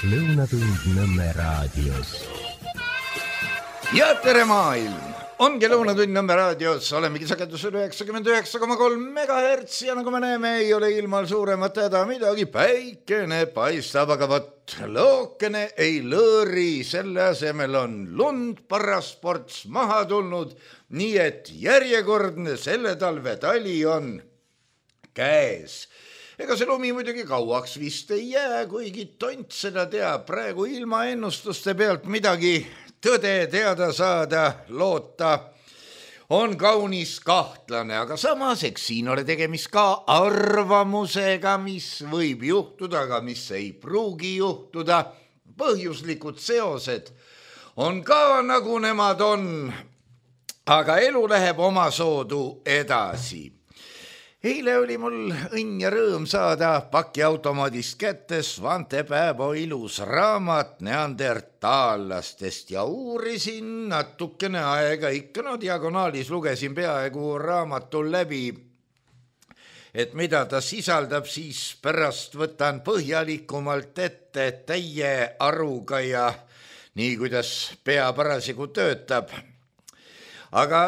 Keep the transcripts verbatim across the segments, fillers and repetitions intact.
Lõunatund Nõmme raadios. Ja tere maailm! Ongi Lõunatund Nõmme raadios, olemegi sagedusel üheksakümmend üheksa koma kolm megahertsi ja nagu me näeme, ei ole ilmal suuremat häda midagi, päikene paistab, aga vot lookene ei lõõri, selle asemel on lund parasports maha tulnud, nii et järjekordne selle talve tali on käes. Ega see lumi muidugi kauaks vist ei jää, kuigi tont seda teab, praegu ilma ennustuste pealt midagi tõde teada saada, loota on kaunis kahtlane, aga samas eks siin ole tegemist ka arvamusega, mis võib juhtuda, aga mis ei pruugi juhtuda. Põhjuslikud seosed on ka nagu nemad on, aga elu läheb omasoodu edasi. Eile oli mul õnn ja rõõm saada pakiautomaadist kätte Svante Pääbo ilus raamat neandertaallastest ja uurisin natukene aega ikka, no diagonaalis lugesin peaaegu raamatul läbi, et mida ta sisaldab, siis pärast võtan põhjalikumalt ette täie aruga ja nii, kuidas pea parasjagu töötab. Aga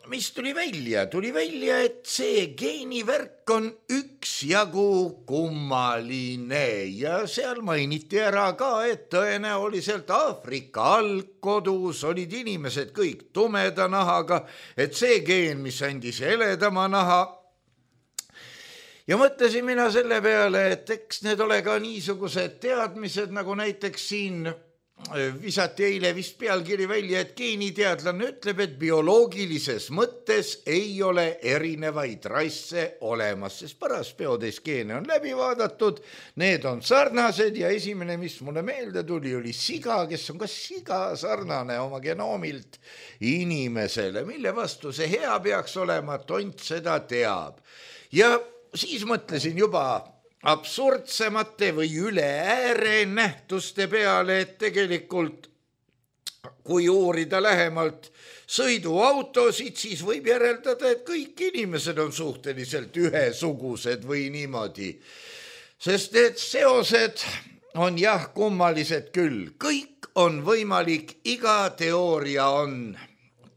mis tuli välja? Tuli välja, et see geenivärk on üksjagu kummaline ja seal mainiti ära ka, et tõenäoliselt Aafrika algkodus olid inimesed kõik tumeda nahaga, et see geen, mis andis heledama naha. Ja mõtlesin mina selle peale, et eks need ole ka niisugused teadmised, nagu näiteks siin visati eile vist pealkiri välja, et geeniteadlane ütleb, et bioloogilises mõttes ei ole erinevaid rasse olemas, sest paraspeodes geene on läbi vaadatud, need on sarnased ja esimene, mis mulle meelde tuli, oli siga, kes on ka siga sarnane oma genoomilt inimesele, mille vastu see hea peaks olema, tont seda teab. Ja siis mõtlesin juba absurdsemate või üle ääre nähtuste peale, et tegelikult kui uurida lähemalt sõiduautosid, siis võib järeldada, et kõik inimesed on suhteliselt ühesugused või niimoodi. Sest need seosed on jah kummalised küll, kõik on võimalik, iga teooria on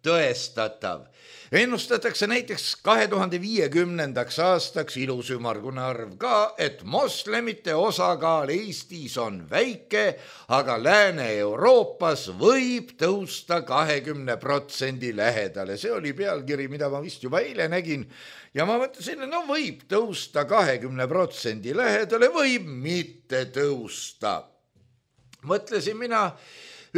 tõestatav. Ennustatakse näiteks kahe tuhande viiekümnendaks aastaks ilus ümmargune arv ka, et moslemite osakaal Eestis on väike, aga Lääne-Euroopas võib tõusta kahekümne protsendi lähedale. See oli pealkiri, mida ma vist juba eile nägin ja ma mõtlesin, no võib tõusta kahekümne protsendi lähedale, võib mitte tõusta. Mõtlesin mina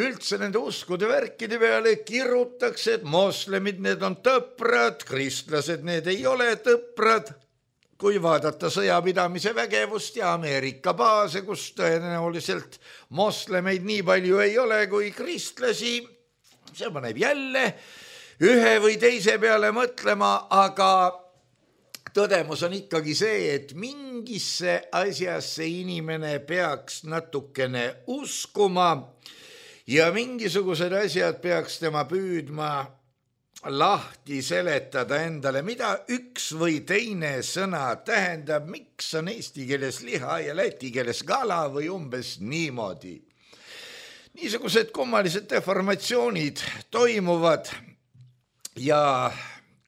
üldse nende uskude värkide peale, kirutakse, et moslemid need on tõprad, kristlased need ei ole tõprad. Kui vaadata sõjapidamise vägevust ja Ameerika baase, kus tõenäoliselt moslemeid nii palju ei ole kui kristlasi, see paneb jälle ühe või teise peale mõtlema, aga tõdemus on ikkagi see, et mingisse asjasse inimene peaks natukene uskuma, ja mingisugused asjad peaks tema püüdma lahti seletada endale, mida üks või teine sõna tähendab, miks on eesti keeles liha ja läti keeles kala või umbes niimoodi. Niisugused kummalised deformatsioonid toimuvad ja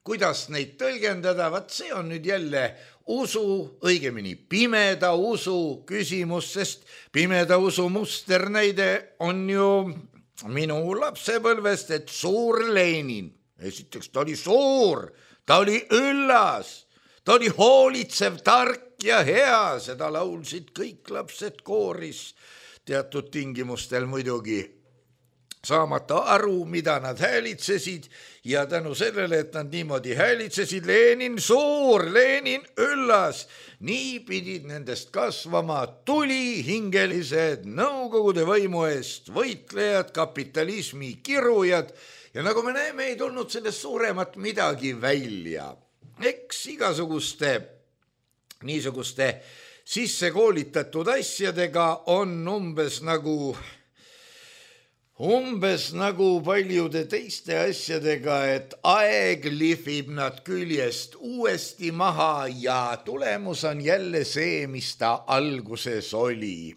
kuidas neid tõlgendada, vaat see on nüüd jälle usu, õigemini pimeda usu küsimus, sest pimeda usu musternäide on ju minu lapsepõlvest, et suur Lenin, esiteks ta oli suur, ta oli üllas, ta oli hoolitsev, tark ja hea, seda laulsid kõik lapsed kooris, teatud tingimustel muidugi, saamata aru, mida nad häälitsesid ja tänu sellele, et nad niimoodi häälitsesid, Lenin suur, Lenin üllas, nii pidid nendest kasvama tulihingelised Nõukogude võimu eest võitlejad, kapitalismi kirujad ja nagu me näeme, ei tulnud sellest suuremat midagi välja. Eks igasuguste niisuguste sisse koolitatud asjadega on umbes nagu Umbes nagu paljude teiste asjadega, et aeg lihvib nad küljest uuesti maha ja tulemus on jälle see, mis ta alguses oli.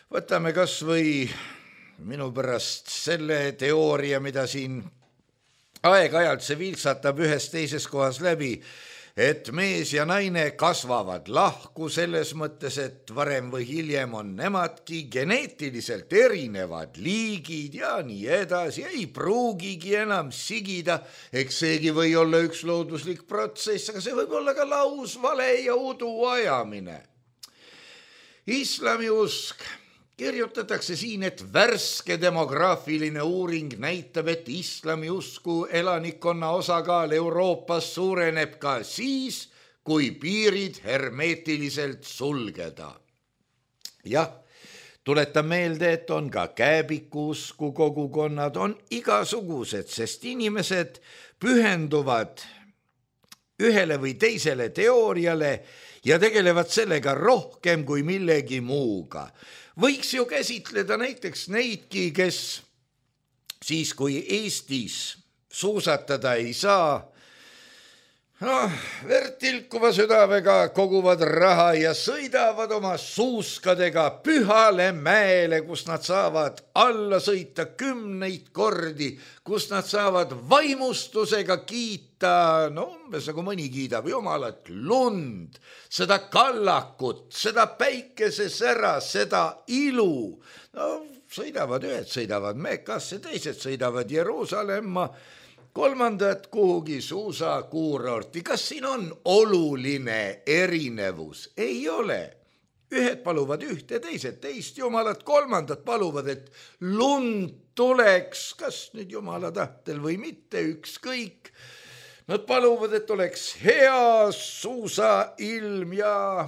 Võtame kas või minu pärast selle teooria, mida siin aeg-ajalt see viltsatab ühes teises kohas läbi, et mees ja naine kasvavad lahku selles mõttes, et varem või hiljem on nemadki geneetiliselt erinevad liigid ja nii edasi, ei pruugigi enam sigida, eks seegi või olla üks looduslik protsess, aga see võib olla ka laus vale ja udu ajamine. Islamiusk kirjutatakse siin, et värske demograafiline uuring näitab, et islamiusku elanikkonna osakaal Euroopas suureneb ka siis, kui piirid hermeetiliselt sulgeda. Jah, tuletan meelde, et on ka kääbikuusku kogukonnad, on igasugused, sest inimesed pühenduvad ühele või teisele teooriale ja tegelevad sellega rohkem kui millegi muuga. Võiks ju käsitleda näiteks neidki, kes siis, kui Eestis suusatada ei saa, noh, vertilkuva südamega koguvad raha ja sõidavad oma suuskadega pühale mäele, kus nad saavad alla sõita kümneid kordi, kus nad saavad vaimustusega kiita, no umbes nagu mõni kiidab jumalat, lund, seda kallakut, seda päikesesära, seda ilu. No sõidavad ühed, sõidavad Mekkasse, teised sõidavad Jeruusalemma, kolmandad kuhugi suusakuurorti. Kas siin on oluline erinevus? Ei ole. Ühed paluvad ühte, teised teist jumalat, kolmandad paluvad, et lund tuleks, kas nüüd jumala tahtel või mitte, ükskõik. Nad paluvad, et oleks hea suusailm ja,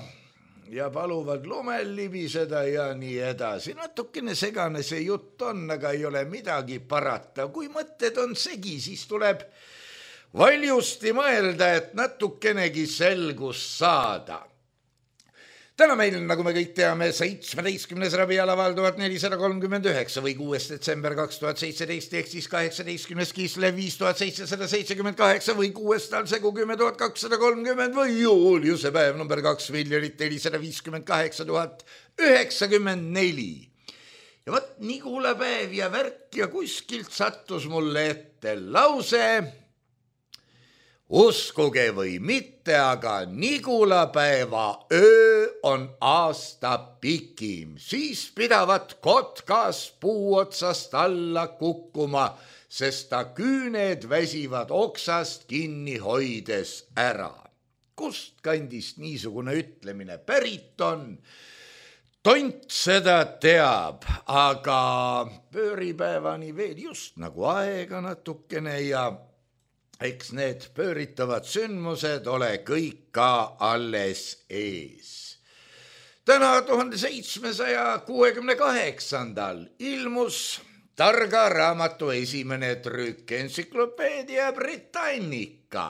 ja paluvad lumel libiseda ja nii edasi. Natukene segane see jutt on, aga ei ole midagi parata. Kui mõtted on segi, siis tuleb valjusti mõelda, et natukenegi selgus saada. Täna meil, nagu me kõik teame, seitsmeteistkümnes rabialaval tuhat nelisada kolmkümmend üheksa või kuues detsember kaks tuhat seitseteist ehk siis kaheksateistkümnes Kislev viis tuhat seitsesada seitsekümmend kaheksa või kuues talsegu kümme tuhat kakssada kolmkümmend või Juliuse päev number kaks miljonit nelisada viiskümmend kaheksa tuhat üheksakümmend neli. Ja võt Nigula päev ja värk ja kuskilt sattus mulle ette lause: uskuge või mitte, aga Nigulapäeva öö on aasta pikim, siis pidavat kotkas puu otsast alla kukkuma, sest ta küüned väsivad oksast kinni hoides ära. Kust kandist niisugune ütlemine pärit on? Tont seda teab, aga pööripäevani veel just nagu aega natukene ja eks need pööritavad sündmused ole kõik ka alles ees. Täna tuhande seitsmesaja kuuekümne kaheksandal ilmus targa raamatu esimene trükk, Encyclopedia Britannica.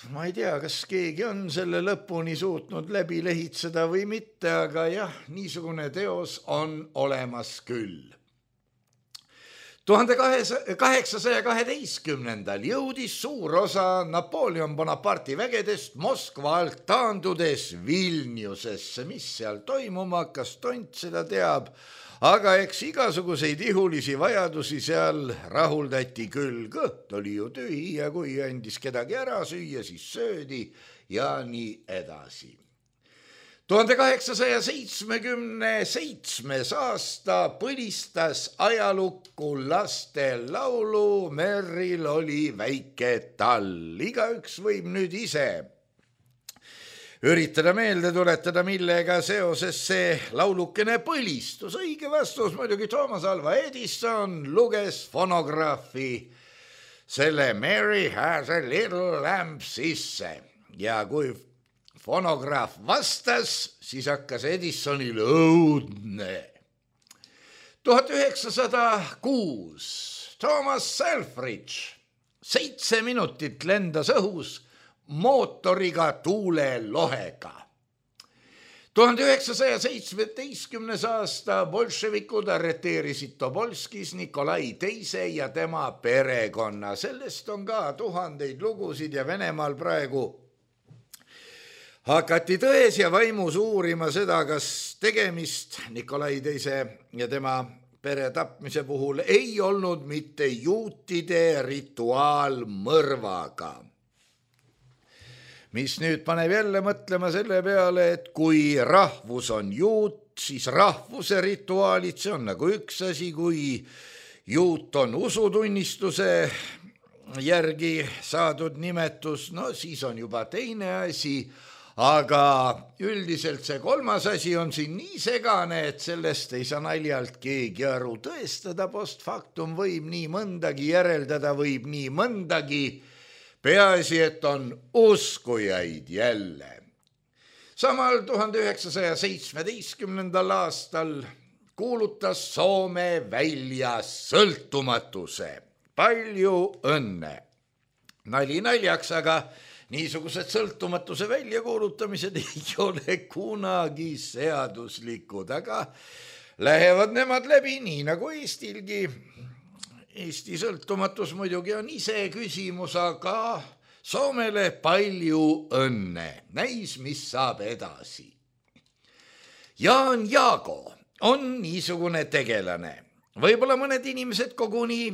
Ma ei tea, kas keegi on selle lõpuni suutnud läbi lehitseda või mitte, aga jah, niisugune teos on olemas küll. tuhande kaheksasaja kaheteistkümnendal jõudis suur osa Napoleon Bonaparte'i vägedest Moskva alt taandudes Vilniusesse. Mis seal toimuma hakkas, tont seda teab, aga eks igasuguseid ihulisi vajadusi seal rahuldati küll. Kõht oli ju tühi ja kui andis kedagi ära süüa, siis söödi ja nii edasi. tuhande kaheksasaja seitsmekümne seitsmes aasta põlistas ajalukku laste laulu Merril oli väike tall. Igaüks võib nüüd ise üritada meelde tuletada, millega seoses see laulukene põlistus. Õige vastus muidugi Thomas Alva Edison luges fonograafi selle Mary has a little lamp sisse ja kui fonograaf vastas, siis hakkas Edisonil õudne. tuhat üheksasada kuus Thomas Selfridge seitse minutit lendas õhus mootoriga tuulelohega. tuhande üheksasaja seitsmeteistkümnes aasta bolševikud arreteerisid Tobolskis Nikolai teise ja tema perekonna. Sellest on ka tuhandeid lugusid ja Venemaal praegu hakati tões ja vaimus uurima seda, kas tegemist Nikolai teise ja tema pere tapmise puhul ei olnud mitte juutide rituaalmõrvaga. Mis nüüd paneb jälle mõtlema selle peale, et kui rahvus on juut, siis rahvuse rituaalid, see on nagu üks asi, kui juut on usutunnistuse järgi saadud nimetus, no siis on juba teine asi, aga üldiselt see kolmas asi on siin nii segane, et sellest ei saa naljalt keegi aru. Tõestada post factum võib nii mõndagi, järeldada võib nii mõndagi, peaasi, et on uskujaid jälle. Samal tuhande üheksasaja seitsmeteistkümnendal aastal kuulutas Soome välja sõltumatuse. Palju õnne. Nali naljaks, aga niisugused sõltumatuse väljakuulutamised ei ole kunagi seaduslikud, aga lähevad nemad läbi nii nagu Eestilgi. Eesti sõltumatus muidugi on ise küsimus, aga Soomele palju õnne. Näis, mis saab edasi. Jaan Jaago on niisugune tegelane. Võib-olla mõned inimesed koguni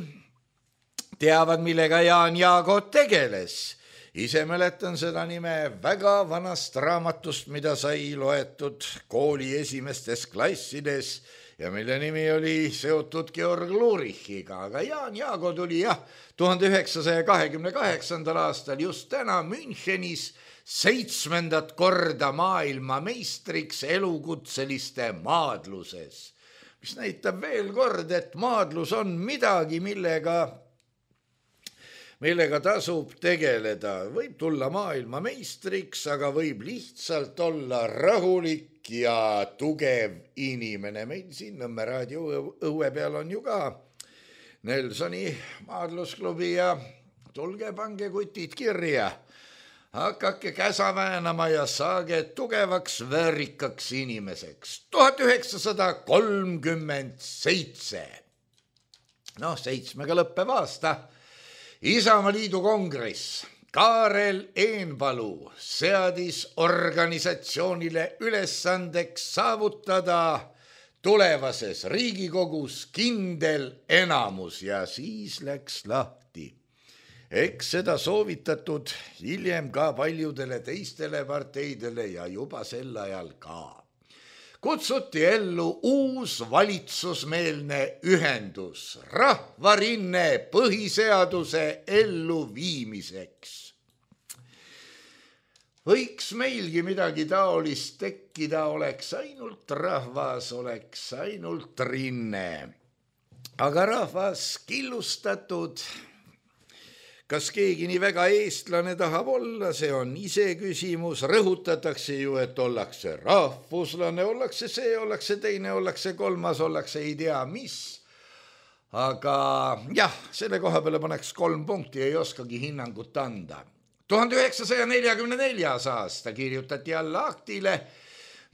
teavad, millega Jaan Jaago tegeles. Ise mäletan seda nime väga vanast raamatust, mida sai loetud kooli esimestes klassides ja mille nimi oli seotud Georg Lurichiga, aga Jaan Jaago tuli jah tuhande üheksasaja kahekümne kaheksandal aastal just täna Münchenis seitsmendat korda maailmameistriks elukutseliste maadluses, mis näitab veel kord, et maadlus on midagi, millega millega tasub tegeleda. Võib tulla maailmameistriks, aga võib lihtsalt olla rahulik ja tugev inimene. Meil siin Nõmme raadio õue peal on ju ka Nelsoni maadlusklubi ja tulge pange kutid kirja. Hakake käsa väänama ja saage tugevaks väärikaks inimeseks. tuhat üheksasada kolmkümmend seitse. Noh, seitsmega lõppev aasta. Isamaaliidu kongress Kaarel Eenpalu seadis organisatsioonile ülesandeks saavutada tulevases Riigikogus kindel enamus ja siis läks lahti. Eks seda soovitatud hiljem ka paljudele teistele parteidele ja juba sel ajal ka. Kutsuti ellu uus valitsusmeelne ühendus, rahvarinne põhiseaduse elluviimiseks. Võiks meilgi midagi taolist tekkida, oleks ainult rahvas, oleks ainult rinne. Aga rahvas killustatud. Kas keegi nii väga eestlane tahab olla, see on ise küsimus. Rõhutatakse ju, et ollakse rahvuslane, ollakse see, ollakse teine, ollakse kolmas, ollakse ei tea mis. Aga jah, selle koha peale paneks kolm punkti, ei oskagi hinnangut anda. tuhande üheksasaja neljakümne neljas aasta kirjutati alla aktile,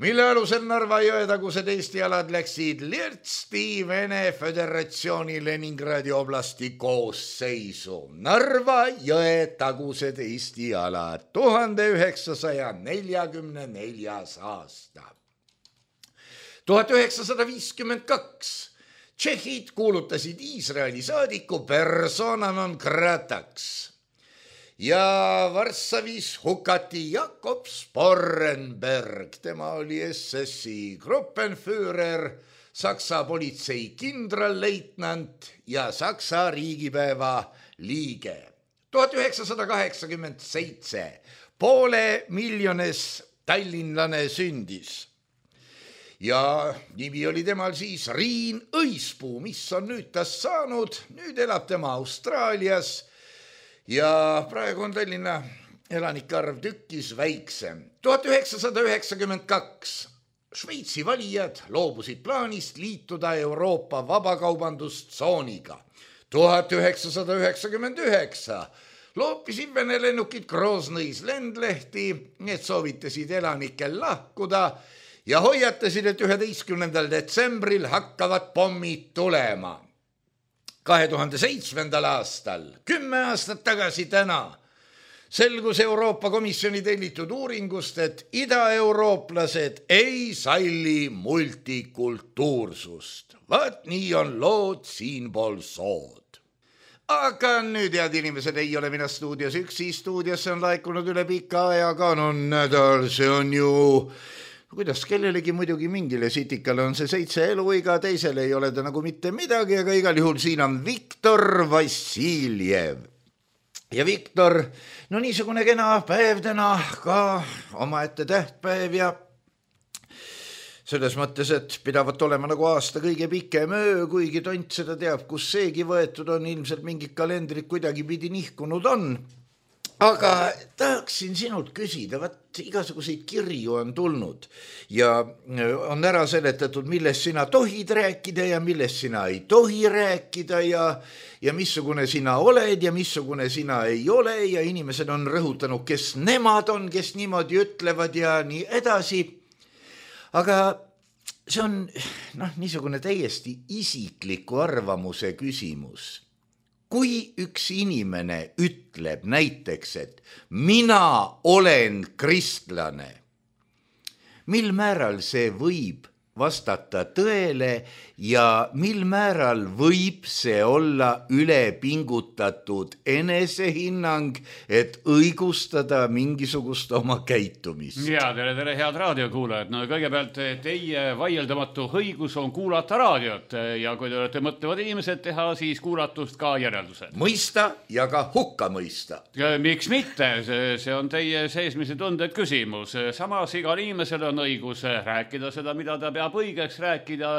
mille alusel Narva jõetagused Eesti alad läksid lirtsti Vene Föderatsiooni Leningradi oblasti koosseisu. Narva jõetagused Eesti alad, tuhande üheksasaja neljakümne neljas aasta. tuhat üheksasada viiskümmend kaks. Tšehhid kuulutasid Iisraeli saadiku persona non grataks. Ja Varssavis hukati Jakob Sporrenberg, tema oli S S-i gruppenführer, Saksa politsei kindralleitnant ja Saksa riigipäeva liige. tuhat üheksasada kaheksakümmend seitse poole miljones tallinlane sündis. Ja nimi oli temal siis Riin Õispuu, mis on nüüd tast saanud, nüüd elab tema Austraalias. Ja praegu on Tallinna elanike arv tükkis väiksem. tuhat üheksasada üheksakümmend kaks. Šveitsi valijad loobusid plaanist liituda Euroopa vabakaubandustsooniga. tuhat üheksasada üheksakümmend üheksa. Loopisid Vene lennukid Groznõis lendlehti, need soovitasid elanikel lahkuda ja hoiatasid, et üheteistkümnendal detsembril hakkavad pommid tulema. kahe tuhande seitsmendal aastal, kümme aastat tagasi täna, selgus Euroopa Komisjoni tellitud uuringust, et idaeurooplased ei salli multikultuursust. Vaat nii on lood siinpool sood. Aga nüüd, head inimesed, ei ole mina stuudios üksi. Stuudiosse on laekunud üle pika aja kanonnädal. See on ju, kuidas kellelegi muidugi mingile sitikale on see seitse eluiga, teisele ei ole ta nagu mitte midagi, aga igal juhul siin on Viktor Vassiljev. Ja Viktor, no niisugune kena päev täna, ka omaette tähtpäev ja selles mõttes, et pidavat olema nagu aasta kõige pikem öö, kuigi tont seda teab, kus seegi võetud on, ilmselt mingid kalendrid kuidagi pidi nihkunud on. Aga tahaksin sinult küsida, vaat igasuguseid kirju on tulnud ja on ära seletatud, millest sina tohid rääkida ja millest sina ei tohi rääkida ja, ja missugune sina oled ja missugune sina ei ole ja inimesed on rõhutanud, kes nemad on, kes niimoodi ütlevad ja nii edasi. Aga see on noh, niisugune täiesti isikliku arvamuse küsimus. Kui üks inimene ütleb näiteks, et mina olen kristlane, mil määral see võib vastata tõele ja mil määral võib see olla ülepingutatud enesehinnang, et õigustada mingisugust oma käitumist? Ja, tere, tere, head raadiokuulajad. No kõigepealt teie vaieldamatu õigus on kuulata raadiot ja kui te olete mõtlevad inimesed teha, siis kuulatust ka järeldused. Mõista ja ka hukka mõista. Miks mitte? See on teie seesmise tunded küsimus. Samas igal inimesel on õigus rääkida seda, mida ta peab peab õigeks rääkida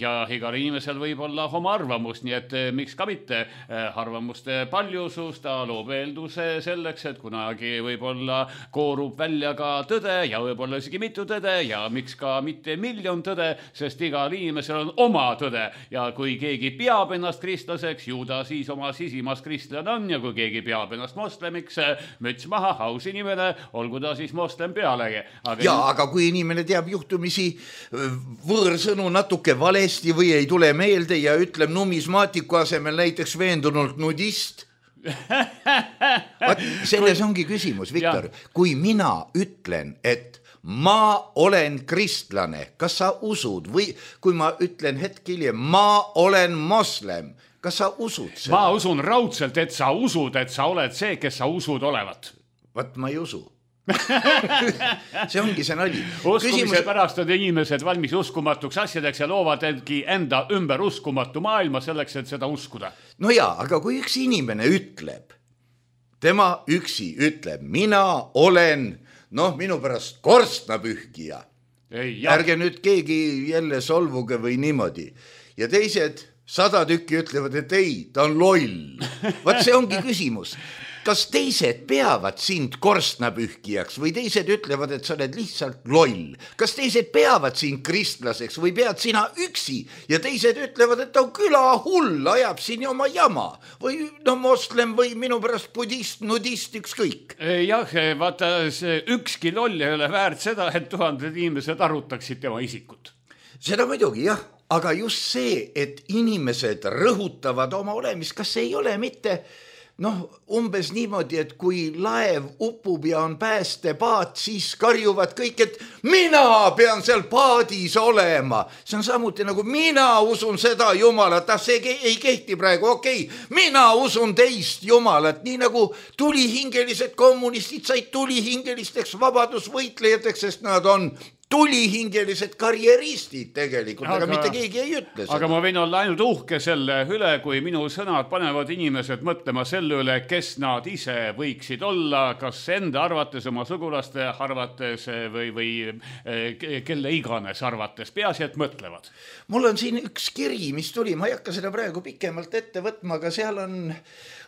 ja igal inimesel võib olla oma arvamus, nii et miks ka mitte arvamuste paljusus, ta loob eelduse selleks, et kunagi võib-olla koorub välja ka tõde ja võib-olla isegi mitu tõde ja miks ka mitte miljon tõde, sest igal inimesel on oma tõde ja kui keegi peab ennast kristlaseks, ju ta siis oma sisimas kristlane on ja kui keegi peab ennast moslemiks, müts maha, aus inimene, olgu ta siis moslem pealegi. Aga ja, aga kui inimene teab juhtumisi võõrsõnu natuke valesti või ei tule meelde ja ütleb numismaatiku asemel näiteks veendunult nudist. Selles ongi küsimus, Viktor. Kui mina ütlen, et ma olen kristlane, kas sa usud või kui ma ütlen hetk hiljem, ma olen moslem, kas sa usud seda? Ma usun raudselt, et sa usud, et sa oled see, kes sa usud olevat. Vat ma ei usu. See ongi see nali. Uskumise Küsimus... pärast on inimesed valmis uskumatuks asjadeks ja loovad endki enda ümber uskumatu maailma selleks, et seda uskuda. No jaa, aga kui üks inimene ütleb, tema üksi ütleb, mina olen, noh, minu pärast korstnapühkija. Ei, ärge nüüd keegi jälle solvuge või niimoodi. Ja teised sada tükki ütlevad, et ei, ta on loll. Vaat see ongi küsimus. Kas teised peavad sind korstnapühkijaks või teised ütlevad, et sa oled lihtsalt loll? Kas teised peavad sind kristlaseks või pead sina üksi ja teised ütlevad, et ta on küla hull, ajab siin oma jama või no moslem või minu pärast budist, nudist, ükskõik? Jah, vaata, see ükski loll ei ole väärt seda, et tuhanded inimesed arutaksid tema isikut. Seda muidugi, jah, aga just see, et inimesed rõhutavad oma olemist, kas ei ole mitte... Noh, umbes niimoodi, et kui laev upub ja on päästepaat, siis karjuvad kõik, et mina pean seal paadis olema. See on samuti nagu mina usun seda Jumalat, ah, see ei kehti praegu, okei, okay. Mina usun teist Jumalat, nii nagu tulihingelised kommunistid said tulihingelisteks vabadusvõitlejateks, sest nad on tulihingelised karjeristid tegelikult, aga, aga mitte keegi ei ütle seda. Aga ma võin olla ainult uhke selle üle, kui minu sõnad panevad inimesed mõtlema selle üle, kes nad ise võiksid olla, kas enda arvates, oma sugulaste arvates või, või kelle iganes arvates, peaasi, et mõtlevad. Mul on siin üks kiri, mis tuli, ma ei hakka seda praegu pikemalt ette võtma, aga seal on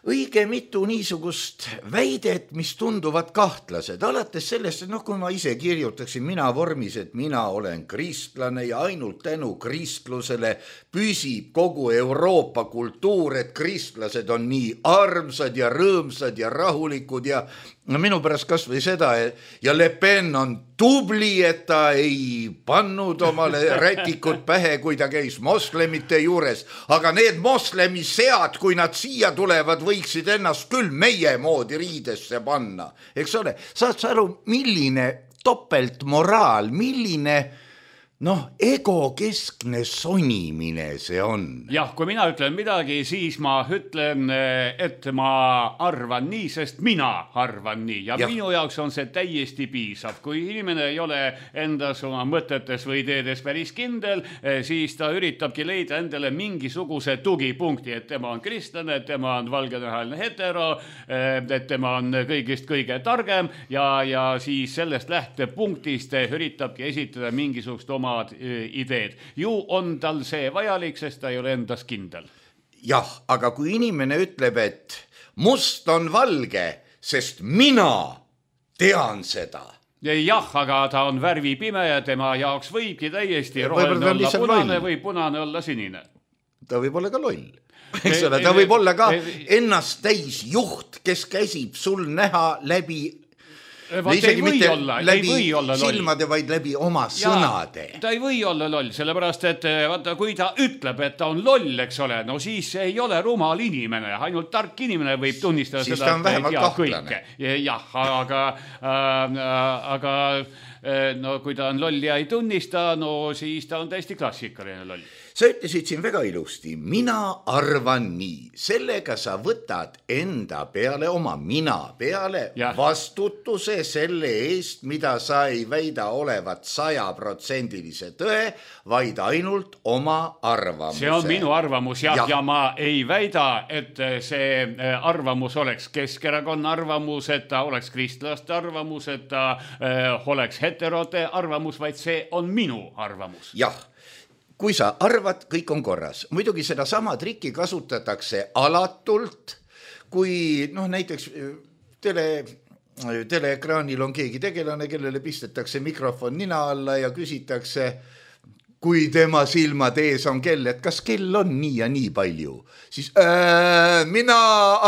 õige mitu niisugust väidet, mis tunduvad kahtlased. Alates sellest, et noh, kui ma ise kirjutaksin mina vormis, et mina olen kristlane ja ainult tänu kristlusele püsib kogu Euroopa kultuur, et kristlased on nii armsad ja rõõmsad ja rahulikud ja no minu pärast kas või seda ja Le Pen on tubli, et ta ei pannud omale rätikut pähe, kui ta käis moslemite juures, aga need moslemi sead, kui nad siia tulevad, võiksid ennast küll meie moodi riidesse panna, eks ole, saad sa aru, milline topeltmoraal, milline noh, egokeskne sonimine see on. Jah, kui mina ütlen midagi, siis ma ütlen, et ma arvan nii, sest mina arvan nii. Ja, ja minu jaoks on see täiesti piisav. Kui inimene ei ole endas oma mõtetes või ideedes päris kindel, siis ta üritabki leida endale mingisuguse tugipunkti, et tema on kristlane, et tema on valgenahaline hetero, et tema on kõigist kõige targem ja, ja siis sellest lähtepunktist üritabki esitada mingisugust oma ideed. Ju on tal see vajalik, sest ta ei ole endas kindel. Jah, aga kui inimene ütleb, et must on valge, sest mina tean seda. Jah, aga ta on värvi pime ja tema jaoks võibki täiesti roheline olla punane või punane olla sinine. Ta võib olla ka loll. Eks ole, ta võib olla ka ennast täis juht, kes käsib sul näha läbi Vaat ei või olla, läbi ei või olla loll. Silmade, vaid läbi oma ja, sõnade. Ta ei või olla loll, sellepärast, et vaata, kui ta ütleb, et ta on loll, eks ole, no siis ei ole rumal inimene, ainult tark inimene võib tunnistada siis seda, et ei tea kõike. Jah, aga, äh, aga no, kui ta on loll ja ei tunnista, no siis ta on täiesti klassikaline loll. Sa ütlesid siin väga ilusti, mina arvan nii, sellega sa võtad enda peale, oma mina peale ja. Vastutuse selle eest, mida sa ei väida olevat sajaprotsendilise tõe, vaid ainult oma arvamuse. See on minu arvamus ja, ja. ja ma ei väida, et see arvamus oleks Keskerakonna arvamus, et ta oleks kristlaste arvamus, et ta äh, oleks heterote arvamus, vaid see on minu arvamus. Jah. Kui sa arvad, kõik on korras. Muidugi seda sama trikki kasutatakse alatult, kui noh, näiteks tele, teleekraanil on keegi tegelane, kellele pistetakse mikrofon nina alla ja küsitakse, kui tema silmad ees on kell, et kas kell on nii ja nii palju. Siis äh, mina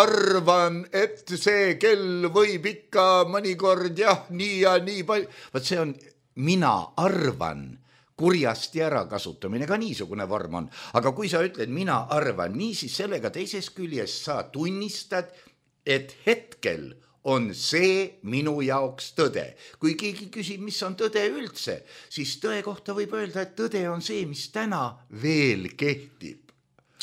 arvan, et see kell võib ikka mõnikord jah, nii ja nii palju. Vaat see on mina arvan. Kurjasti ära kasutamine ka niisugune vorm on. Aga kui sa ütled, mina arvan nii, siis sellega teises küljes sa tunnistad, et hetkel on see minu jaoks tõde. Kui keegi küsib, mis on tõde üldse, siis tõe kohta võib öelda, et tõde on see, mis täna veel kehtib.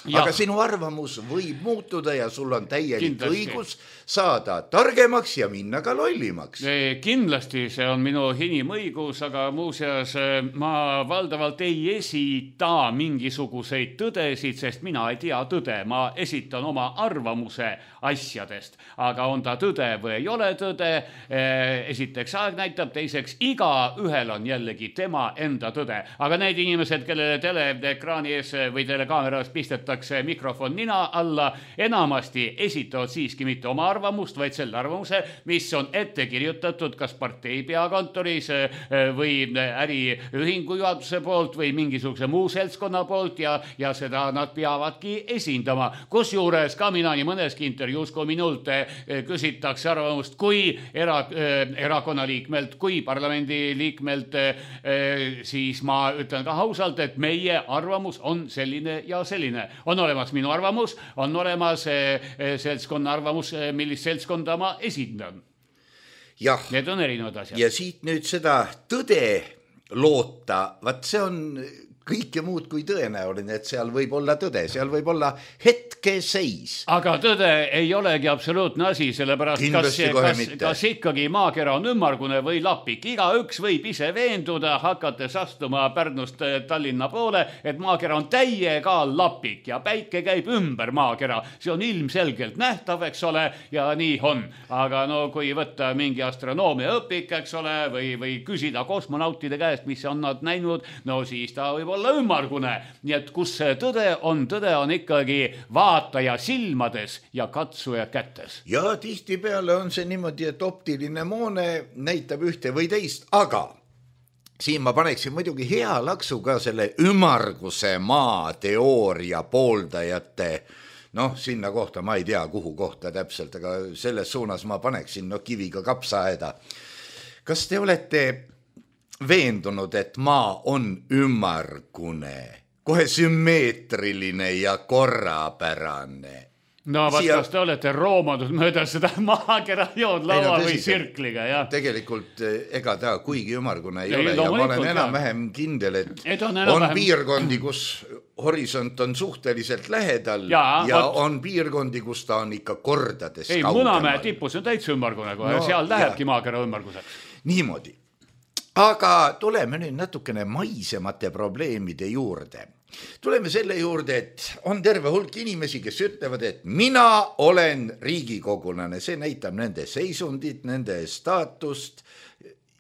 Ja. Aga sinu arvamus võib muutuda ja sul on täielik kindlasti. Õigus saada targemaks ja minna ka lollimaks. Kindlasti see on minu inimõigus, aga muuseas ma valdavalt ei esita mingisuguseid tõdesid, sest mina ei tea tõde. Ma esitan oma arvamuse asjadest, aga on ta tõde või ei ole tõde. Esiteks aeg näitab, teiseks iga ühel on jällegi tema enda tõde. Aga need inimesed, kellele teleekraani ees või telekaameras pistetab mikrofon nina alla, enamasti esitavad siiski mitte oma arvamust, vaid selle arvamuse, mis on ette kirjutatud kas partei peakontoris või äriühingu juhatuse poolt või mingisuguse muu seltskonna poolt ja, ja seda nad peavadki esindama. Kusjuures ka mina nii mõneski intervjuus, kui minult küsitakse arvamust, kui era, erakonna liikmelt, kui parlamendi liikmelt, siis ma ütlen ka ausalt, et meie arvamus on selline ja selline. On olemas minu arvamus, on olemas seltskonna arvamus, millist seltskonda ma esindan. Jah. Need on erinevad asjad. Ja siit nüüd seda tõde loota, vaat see on kõike muud kui tõenäoline, et seal võib olla tõde, seal võib olla hetkeseis. Aga tõde ei olegi absoluutne asi, sellepärast kas, kas, kas ikkagi maakera on ümmargune või lapik. Iga üks võib ise veenduda, hakates astuma Pärnust Tallinna poole, et maakera on täiega lapik ja päike käib ümber maakera. See on ilmselgelt nähtav, eks ole, ja nii on. Aga no kui võtta mingi astronoomia õpik, eks ole, või, või küsida kosmonautide käest, mis on nad näinud, no siis ta võib olla ümmargune. Nii et kus see tõde on, tõde on ikkagi vaataja silmades ja katsuja kätes. Ja tihtipeale on see niimoodi, et optiline moone näitab ühte või teist, aga siin ma paneksin muidugi hea laksu ka selle ümmarguse maa teooria pooldajate, noh, sinna kohta ma ei tea, kuhu kohta täpselt, aga selles suunas ma paneksin no, kiviga kapsaaeda. Kas te olete veendunud, et maa on ümmargune, kohe sümmeetriline ja korrapärane? no vaat siia... kas te olete roomanud mööda seda maakera jood laua no, või sirkliga, jah? Tegelikult ega ta kuigi ümargune ei, ei ole ja ma olen enam-vähem kindel, et, et on, on vähem... piirkondi, kus horisont on suhteliselt lähedal ja, ja ot... on piirkondi, kus ta on ikka kordades ei, Munamäe tipus on täitsa ümmargune, no, seal lähebki ja... maakera ümmarguseks. Niimoodi. Aga tuleme nüüd natukene maisemate probleemide juurde. Tuleme selle juurde, et on terve hulk inimesi, kes ütlevad, et mina olen riigikogulane. See näitab nende seisundit, nende staatust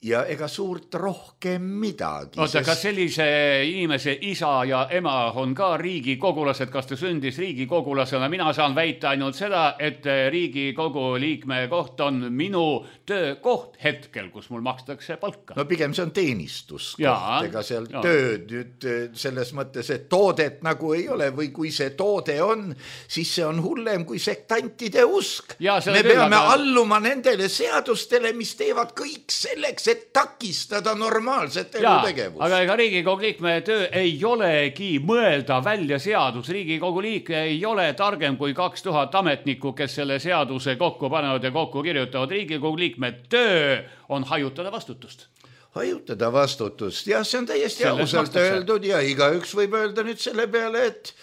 ja ega suurt rohkem midagi. Oota, sest... kas sellise inimese isa ja ema on ka riigikogulased, kas ta sündis riigikogulasena? Mina saan väita ainult seda, et riigikogu liikme koht on minu töökoht hetkel, kus mul makstakse palka. No pigem see on teenistuskoht, ega seal ja. Tööd nüüd selles mõttes, et toodet nagu ei ole või kui see toode on, siis see on hullem kui sektantide usk. Ja, me peame aga... alluma nendele seadustele, mis teevad kõik selleks, et takistada normaalset elutegevust. Aga ega Riigikogu liikme töö ei olegi mõelda välja seadus. Riigikogu liikme ei ole targem kui kaks tuhat ametnikku, kes selle seaduse kokku panevad ja kokku kirjutavad. Riigikogu liikme töö on hajutada vastutust. Hajutada vastutust, jah, see on täiesti ausalt öeldud ja igaüks võib öelda nüüd selle peale, et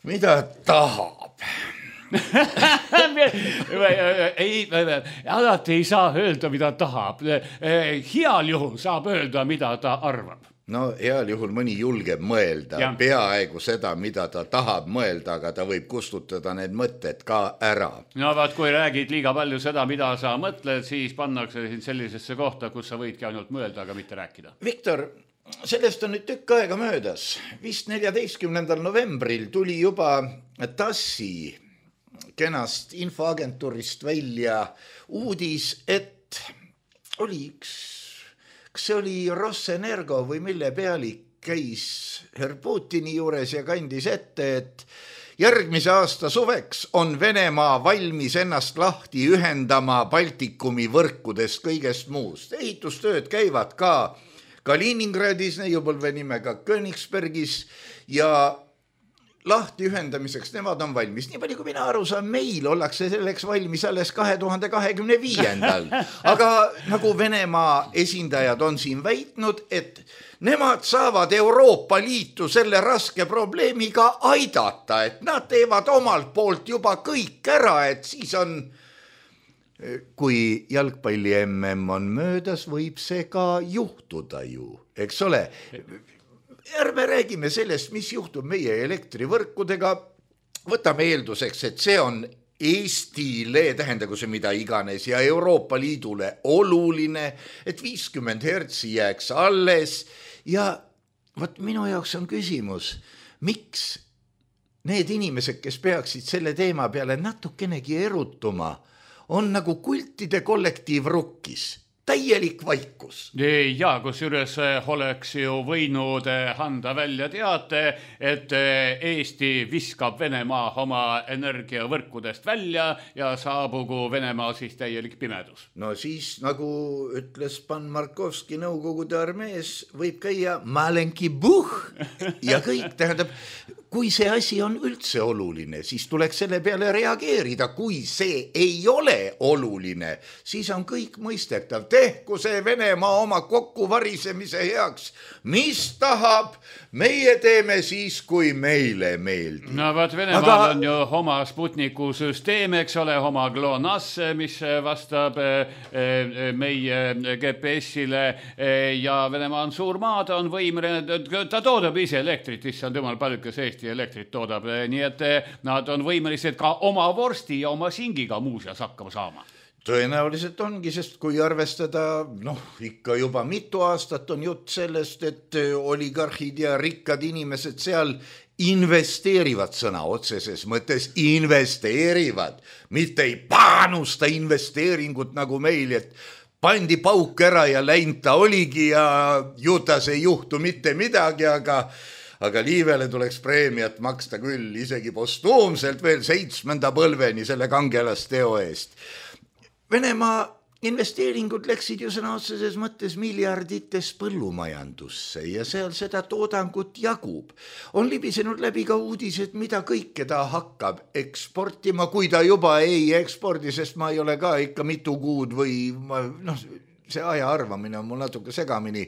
mida tahab. ei, alati ei saa öelda, mida tahab. Heal juhul saab öelda, mida ta arvab. No heal juhul mõni julgeb mõelda ja. Peaaegu seda, mida ta tahab mõelda, aga ta võib kustutada need mõtted ka ära. No vaat, kui räägid liiga palju seda, mida sa mõtled, siis pannakse sind sellisesse kohta, kus sa võidki ainult mõelda, aga mitte rääkida. Viktor, sellest on nüüd tükk aega möödas. Vist neljateistkümnendal novembril tuli juba Tassi kenast infoagentuurist välja uudis, et oli üks, kas see oli Rosenergo või mille pealik käis herr Putini juures ja kandis ette, et järgmise aasta suveks on Venemaa valmis ennast lahti ühendama Baltikumi võrkudest kõigest muust. Ehitustööd käivad ka Kaliningradis, neiupõlve nimega Königsbergis ja lahti ühendamiseks nemad on valmis. Nii palju, kui mina aru saan, meil ollakse selleks valmis alles kahe tuhande kahekümne viiendal. Aga nagu Venemaa esindajad on siin väitnud, et nemad saavad Euroopa Liitu selle raske probleemiga aidata, et nad teevad omalt poolt juba kõik ära, et siis on, kui jalgpalli M M on möödas, võib see ka juhtuda ju, eks ole. Ärme räägime sellest, mis juhtub meie elektrivõrkudega. Võtame eelduseks, et see on Eestile, tähendagu see mida iganes, ja Euroopa Liidule oluline, et viiskümmend hertsi jääks alles. Ja võt minu jaoks on küsimus, miks need inimesed, kes peaksid selle teema peale natukenegi erutuma, on nagu kultide kollektiiv rukkis. Täielik vaikus. Ja, kus üles oleks ju võinud anda välja teate, et Eesti viskab Venemaa oma energiavõrkudest välja ja saabugu Venemaa siis täielik pimedus. No siis, nagu ütles Pan Markovski Nõukogude armees, võib käia malenki buh ja kõik, tähendab, kui see asi on üldse oluline, siis tuleks selle peale reageerida. Kui see ei ole oluline, siis on kõik mõistetav. Tehku see Venemaa oma kokkuvarisemise heaks. Mis tahab, meie teeme siis, kui meile meeldib. No vaat Venemaal Aga... on ju oma Sputniku süsteem, eks ole, oma GLONASS, mis vastab meie G P S-ile ja Venemaa on suur maa, ta on võimeline, ta toodab ise elektrit, issand jumal, paljukas Eesti elektrit toodab, nii et nad on võimelised ka oma vorsti ja oma singiga muuseas hakkama saama. Tõenäoliselt ongi, sest kui arvestada, noh, ikka juba mitu aastat on jutt sellest, et oligarhid ja rikkad inimesed seal investeerivad, sõna otseses mõttes investeerivad, mitte ei panusta investeeringut nagu meil, et pandi pauk ära ja läinud ta oligi ja jutas ei juhtu mitte midagi, aga aga Liivele tuleks preemiat maksta küll, isegi postuumselt veel seitsmenda põlveni selle kangelasteo eest. Venemaa investeeringud läksid ju sõna otseses mõttes miljardites põllumajandusse ja seal seda toodangut jagub. On libisenud läbi ka uudised, mida kõike ta hakkab eksportima, kui ta juba ei ekspordi, sest ma ei ole ka ikka mitu kuud või ma, noh, see aja arvamine on mul natuke segamini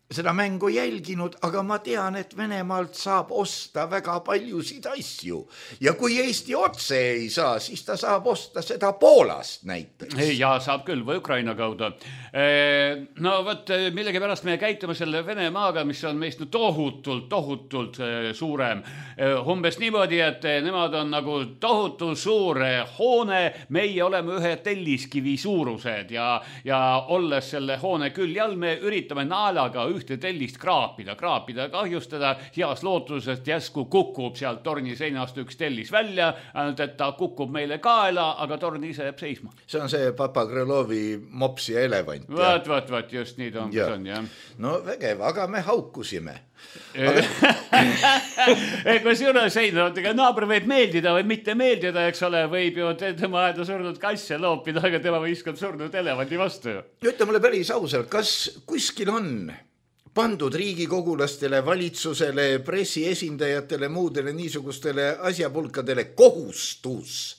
seda mängu jälginud, aga ma tean, et Venemaalt saab osta väga paljusid asju ja kui Eesti otse ei saa, siis ta saab osta seda Poolast näiteks. Ja saab küll või Ukraina kaudu. No võt, millegi pärast me käitume selle Venemaaga, mis on meist tohutult, tohutult suurem. Umbes niimoodi, et nemad on nagu tohutu suur hoone, meie oleme ühe telliskivi suurused ja, ja olles selle hoone külje all, me üritame naelaga ühte tellist kraapida, kraapida, kahjustada, heas lootusest jäsku kukub sealt torni seinast üks tellis välja, ainult et ta kukub meile kaela, aga torn ise jääb seisma. See on see Papa Krõlovi mops ja elevant. Vaat, vaat, vaat, just nii ta on, ja. On, jah. No vägev, aga me haukusime. Kui juures ei, no, naaber võib meeldida või mitte meeldida, eks ole, võib ju tema aeda surnud kasse loopida, aga tema viskab surnud elevandi vastu. Ütle mulle päris ausalt, kas kuskil on pandud riigikogulastele, valitsusele, pressiesindajatele, muudele niisugustele asjapulkadele kohustus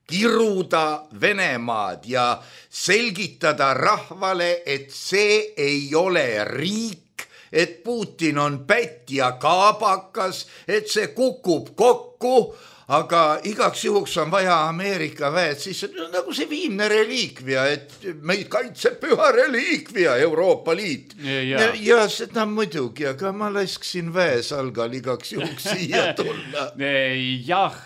kiruda Venemaad ja selgitada rahvale, et see ei ole riik, et Putin on pätt ja kaabakas, et see kukub kokku, aga igaks juhuks on vaja Ameerika väed, siis on nagu see viimne reliikvia, et meid kaitseb püha reliikvia Euroopa Liit. Ja, ja seda muidugi, aga ma lasksin väesalgal igaks juhuks siia tulla. Jah,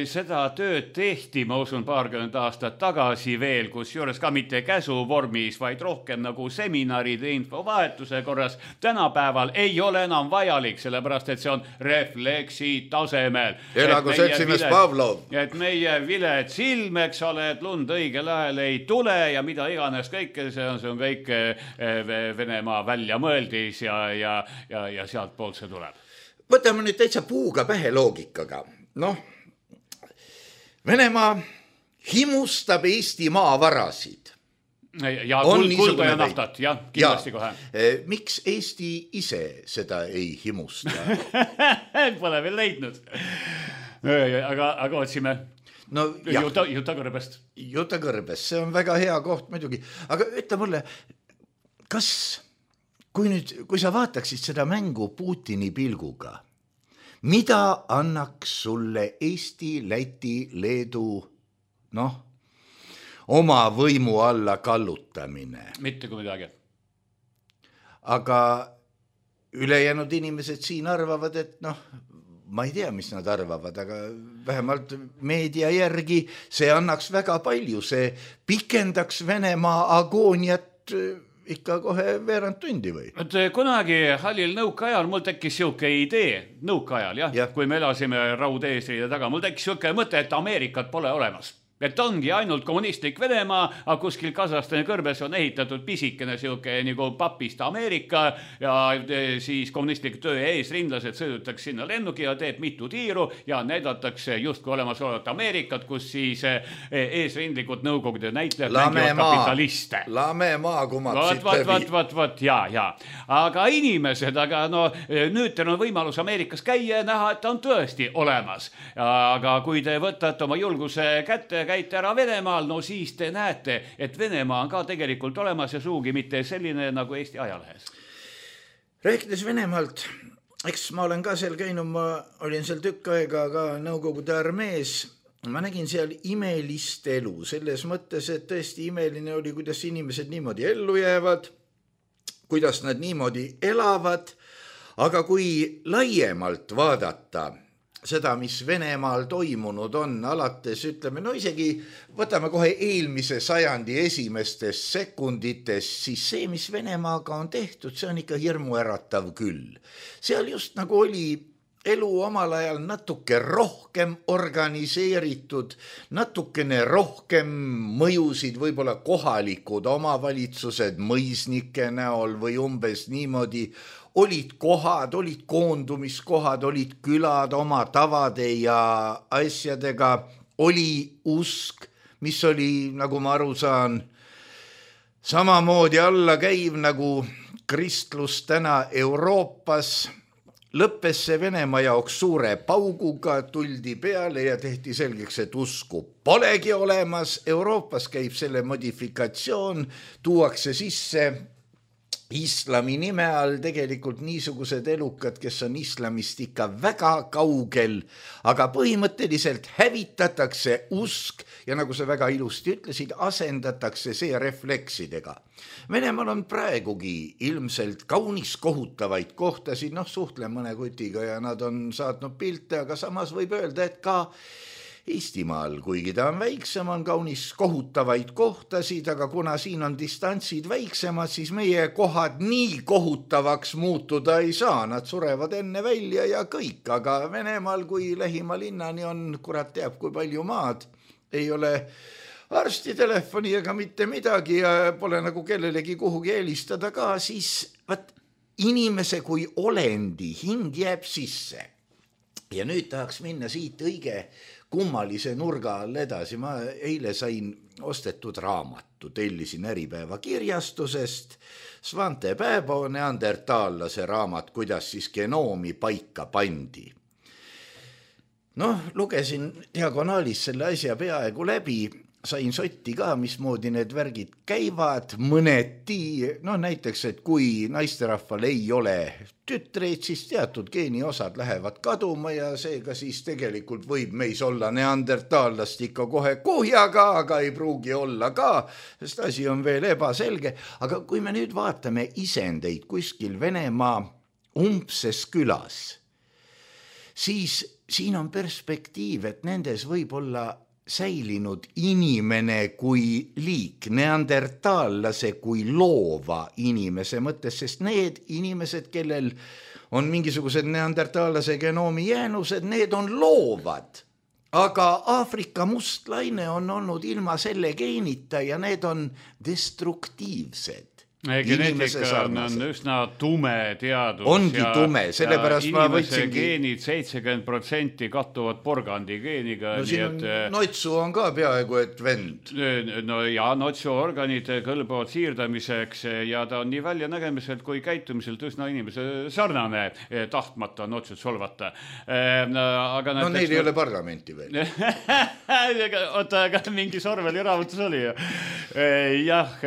seda tööd tehti, ma usun, paarkümmend aastat tagasi veel, kus juures ka mitte käsuvormis, vaid rohkem nagu seminaride infovahetuse korras. Tänapäeval ei ole enam vajalik, sellepärast, et see on refleksi tasemel. Elagu seltsimees Pavlov. Et meie viled silm, eks ole, et lund õigel ajal ei tule ja mida iganes kõike, see on, see on kõik Venemaa välja mõeldis ja, ja, ja, ja sealt poolt see tuleb. Võtame nüüd täitsa puuga pähe loogikaga. Noh, Venemaa himustab Eesti maavarasid. Ja kuld, kulda ja naftat, jah, kindlasti ja. Kohe. Miks Eesti ise seda ei himusta? Pole veel leidnud. Aga, aga otsime no, Juta, Juta kõrbest. Juta kõrbest, see on väga hea koht muidugi. Aga ütle mulle, kas, kui nüüd, kui sa vaataksid seda mängu Putini pilguga, mida annaks sulle Eesti, Läti, Leedu, noh, oma võimu alla kallutamine? Mitte kui midagi. Aga ülejäänud inimesed siin arvavad, et noh, ma ei tea, mis nad arvavad, aga vähemalt meedia järgi see annaks väga palju, see pikendaks Venemaa agooniat ikka kohe veerand tundi või? Et kunagi hallil nõukaajal mul tekkis siuke idee, nõukaajal, jah, ja. Kui me elasime raudeesriide taga, mul tekkis siuke mõte, et Ameerikat pole olemas. Et ongi ainult kommunistlik Venemaa, aga kuskil Kasahstani kõrbes on ehitatud pisikene siuke nagu papist Ameerika ja siis kommunistlik töö eesrindlased sõidutaks sinna lennuki ja teeb mitu tiiru ja näidatakse justkui olemas olevat Ameerikat, kus siis eesrindlikud nõukogude näitlejad mängivad kapitaliste. Lame maa kumatsid läbi. Vat, vat, vat, ja, ja. Aga inimesed, aga no nüüd teil on võimalus Ameerikas käia ja näha, et ta on tõesti olemas. Aga kui te võtate oma julguse kätte, käite ära Venemaal, no siis te näete, et Venemaa on ka tegelikult olemas ja suugi mitte selline nagu Eesti ajalehes. Rääkides Venemaalt, eks ma olen ka seal käinud, ma olin seal tükk aega ka Nõukogude armees, ma nägin seal imelist elu, selles mõttes, et tõesti imeline oli, kuidas inimesed niimoodi ellu jäävad, kuidas nad niimoodi elavad, aga kui laiemalt vaadata seda, mis Venemaal toimunud on, alates ütleme, no isegi võtame kohe eelmise sajandi esimestes sekundites, siis see, mis Venemaaga on tehtud, see on ikka hirmuäratav küll. Seal just nagu oli elu omal ajal natuke rohkem organiseeritud, natukene rohkem mõjusid võib-olla kohalikud omavalitsused mõisnike näol või umbes niimoodi, olid kohad, olid koondumiskohad, olid külad oma tavade ja asjadega, oli usk, mis oli, nagu ma aru saan, samamoodi alla käiv nagu kristlus täna Euroopas, lõppes see Venemaa jaoks suure pauguga, tuldi peale ja tehti selgeks, et usku polegi olemas. Euroopas käib selle modifikatsioon, tuuakse sisse islami nime all tegelikult niisugused elukad, kes on islamist ikka väga kaugel, aga põhimõtteliselt hävitatakse usk ja nagu sa väga ilusti ütlesid, asendatakse see refleksidega. Venemaal on praegugi ilmselt kaunis kohutavaid kohtasid, noh suhtlen mõne kutiga ja nad on saatnud pilte, aga samas võib öelda, et ka Eestimaal, kuigi ta on väiksem, on kaunis kohutavaid kohtasid, aga kuna siin on distantsid väiksemad, siis meie kohad nii kohutavaks muutuda ei saa. Nad surevad enne välja ja kõik, aga Venemaal, kui lähima linnani on, kurat teab, kui palju maad, ei ole arsti telefoni ega mitte midagi ja pole nagu kellelegi kuhugi helistada ka, siis vaat inimese kui olendi hing jääb sisse. Ja nüüd tahaks minna siit õige kummalise nurga all edasi. Ma eile sain ostetud raamatu, tellisin Äripäeva kirjastusest, Svante Pääbo neandertaallase raamat, kuidas siis genoomi paika pandi. Noh, lugesin diagonaalis selle asja peaaegu läbi, sain sotti ka, mismoodi need värgid käivad, mõneti, no näiteks, et kui naisterahval ei ole tütreid, siis teatud geeniosad lähevad kaduma ja seega siis tegelikult võib meis olla neandertaallast ikka kohe kuhjaga, aga ei pruugi olla ka, sest asi on veel ebaselge. Aga kui me nüüd vaatame isendeid kuskil Venemaa umbses külas, siis siin on perspektiiv, et nendes võib olla säilinud inimene kui liik, neandertaallase kui loova inimese mõttes, sest need inimesed, kellel on mingisugused neandertaallase genoomi jäänused, need on loovad. Aga Aafrika mustlaine on olnud ilma selle geenita ja need on destruktiivsed. Geneetika on, on üsna tume teadus. Ongi ja, tume, sellepärast ma võtsingi. Geenid seitsekümmend protsenti kattuvad porgandi geeniga. No siin on, et, Notsu on ka peaaegu, et vend. No ja Notsu organid kõlbavad siirdamiseks ja ta on nii välja nägemiselt kui käitumiselt üsna inimese sarnane, tahtmata Notsut solvata. Aga no neil ei ole parlamenti veel. Oota, aga mingi Sorveli raamatus oli. Jah,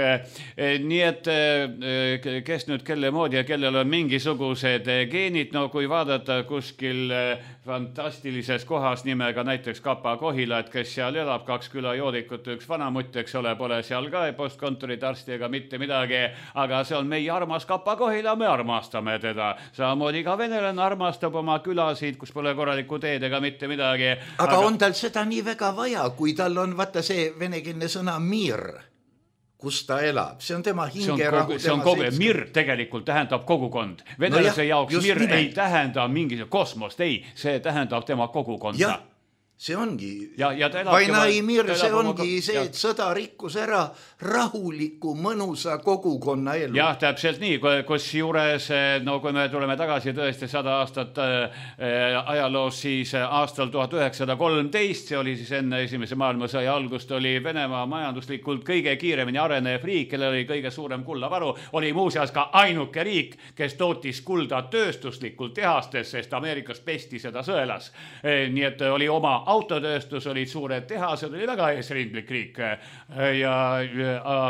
nii et kes nüüd kelle moodi ja kellel on mingisugused geenid, no kui vaadata kuskil fantastilises kohas nimega näiteks Kapa Kohila, et kes seal elab, kaks küla joodikut, üks vanamutt, eks ole, pole seal ka postkontorid arsti ega mitte midagi, aga see on meie armas Kapa Kohila, me armastame teda. Samamoodi ka venelane armastab oma külasid, kus pole korralikku teed ega mitte midagi. Aga, aga on tal seda nii väga vaja, kui tal on vaata see venekeelne sõna mir, kus ta elab. See on tema hingerahu. See on kogu, mir tegelikult tähendab kogukond. Venelase no jaoks mir nimelt. Ei tähenda mingi kosmost, ei, see tähendab tema kogukonda. Jah, see ongi. Ja, ja Vainai mir, see ongi see, et sõda rikkus ära rahuliku, mõnusa kogukonna elu. Jah, täpselt nii, kus juures, no kui me tuleme tagasi tõesti sada aastat äh, ajaloos, siis aastal tuhat üheksasada kolmteist, see oli siis enne esimese maailmasõja algust, oli Venemaa majanduslikult kõige kiiremini arenev riik, kellel oli kõige suurem kullavaru, oli muuseas ka ainuke riik, kes tootis kulda tööstuslikult tehastes, sest Ameerikas pesti seda sõelas. E, nii et oli oma autotööstus, olid suured tehased, oli väga eesrindlik riik ja,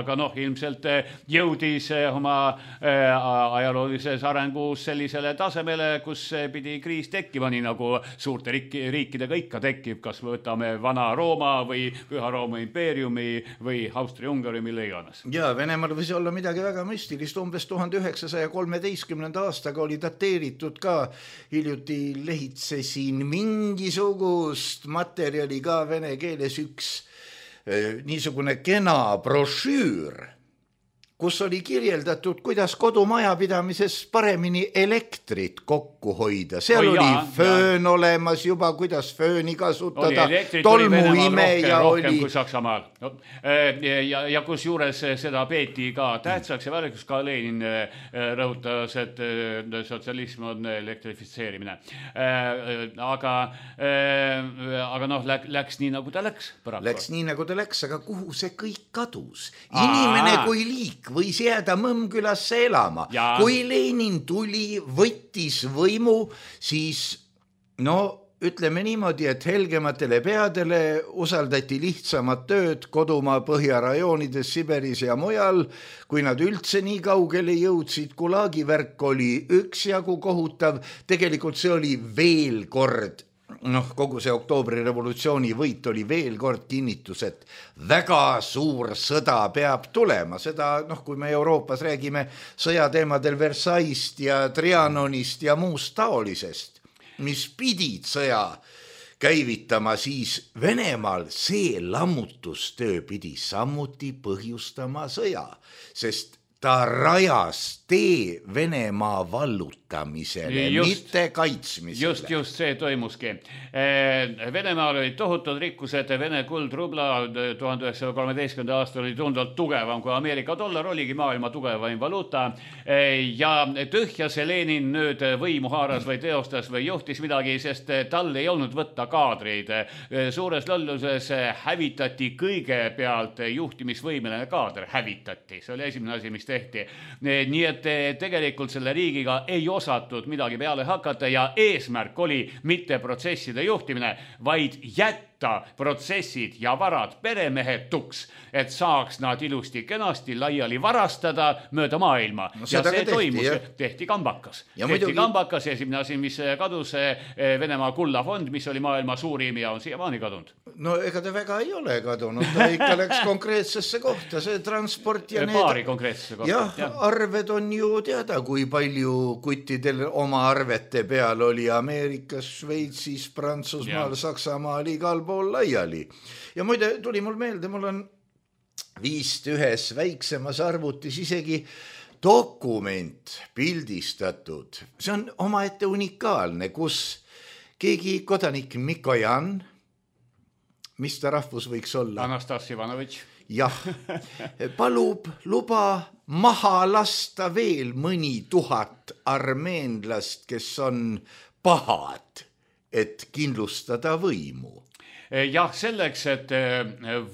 aga noh, ilmselt jõudis oma ajaloolises arengus sellisele tasemele, kus pidi kriis tekkima, nii nagu suurte riikidega ikka tekib, kas võtame vana Rooma või Püha Rooma impeeriumi või Austria-Ungari, mille iganes. Ja Venemaal võis olla midagi väga müstilist, umbes tuhande üheksasaja kolmeteistkümnenda aastaga oli dateeritud ka, hiljuti lehitsesin mingisugust materjali ka vene keeles üks eh, niisugune kena brošüür, kus oli kirjeldatud, kuidas kodumajapidamises paremini elektrit kokku hoida. Seal oh, oli jaa, föön jaa. olemas juba, kuidas fööni kasutada. Tolmuimeja oli. Rohkem kui Saksamaal. No, ja, ja kus juures seda peeti ka tähtsaks ja väärikuks, ka Lenin rõhutas, et sotsialism on elektrifitseerimine. Aga, aga noh, läks nii, nagu ta läks. Paraku. Läks nii, nagu ta läks, aga kuhu see kõik kadus? Inimene Aa. kui liik võis jääda Mõmmkülasse elama. Ja. Kui Lenin tuli, võttis võimu, siis no ütleme niimoodi, et helgematele peadele usaldati lihtsamad tööd kodumaa põhjarajoonides Siberis ja mujal, kui nad üldse nii kaugele jõudsid. Gulagi värk oli üksjagu kohutav, tegelikult see oli veel kord noh, kogu see oktoobri revolutsiooni võit oli veel kord kinnitus, et väga suur sõda peab tulema. Seda, noh, kui me Euroopas räägime sõjateemadel Versailles'st ja Trianonist ja muust taolisest, mis pidid sõja käivitama, siis Venemaal see lammutustöö pidi samuti põhjustama sõja, sest ta rajas tee Venemaa vallutamisele, just, mitte kaitsmisele. Just, just see toimuski. Venemaal olid tohutud rikkused, Vene kuld rubla tuhande üheksasaja kolmeteistkümnenda aastal oli tundvalt tugevam kui Ameerika dollar, oligi maailma tugevaim valuuta ja tühja see Lenin nüüd võimu haaras või teostas või juhtis midagi, sest tal ei olnud võtta kaadreid. Suures lolluses hävitati kõigepealt juhtimisvõimeline kaader, hävitati. See oli esimene asi, mis tehti. Nii et tegelikult selle riigiga ei osatud midagi peale hakata ja eesmärk oli mitte protsesside juhtimine, vaid jätta protsessid ja varad peremehetuks, et saaks nad ilusti kenasti laiali varastada mööda maailma. No, ja see tehti, toimus, ja. tehti kambakas. Ja tehti muidugi... kambakas ja esimene asi, mis kadus Venemaa kullafond, mis oli maailma suurim ja on siiamaani kadunud. No ega ta väga ei ole kadunud, ta ikka läks konkreetsesse kohta, see transport ja paari need... konkreetsesse kohta. Jah, ja. Arved on ju teada, kui palju kuttidel oma arvete peal oli Ameerikas, Šveitsis, Prantsusmaal, ja. Saksamaal, igal pool laiali. Ja muide, tuli mul meelde, mul on viist ühes väiksemas arvutis isegi dokument pildistatud. See on omaette unikaalne, kus keegi kodanik Mikojan, mis ta rahvus võiks olla? Anastas Ivanovitš. Jah, palub luba maha lasta veel mõni tuhat armeenlast, kes on pahad, et kindlustada võimu. Jah, selleks, et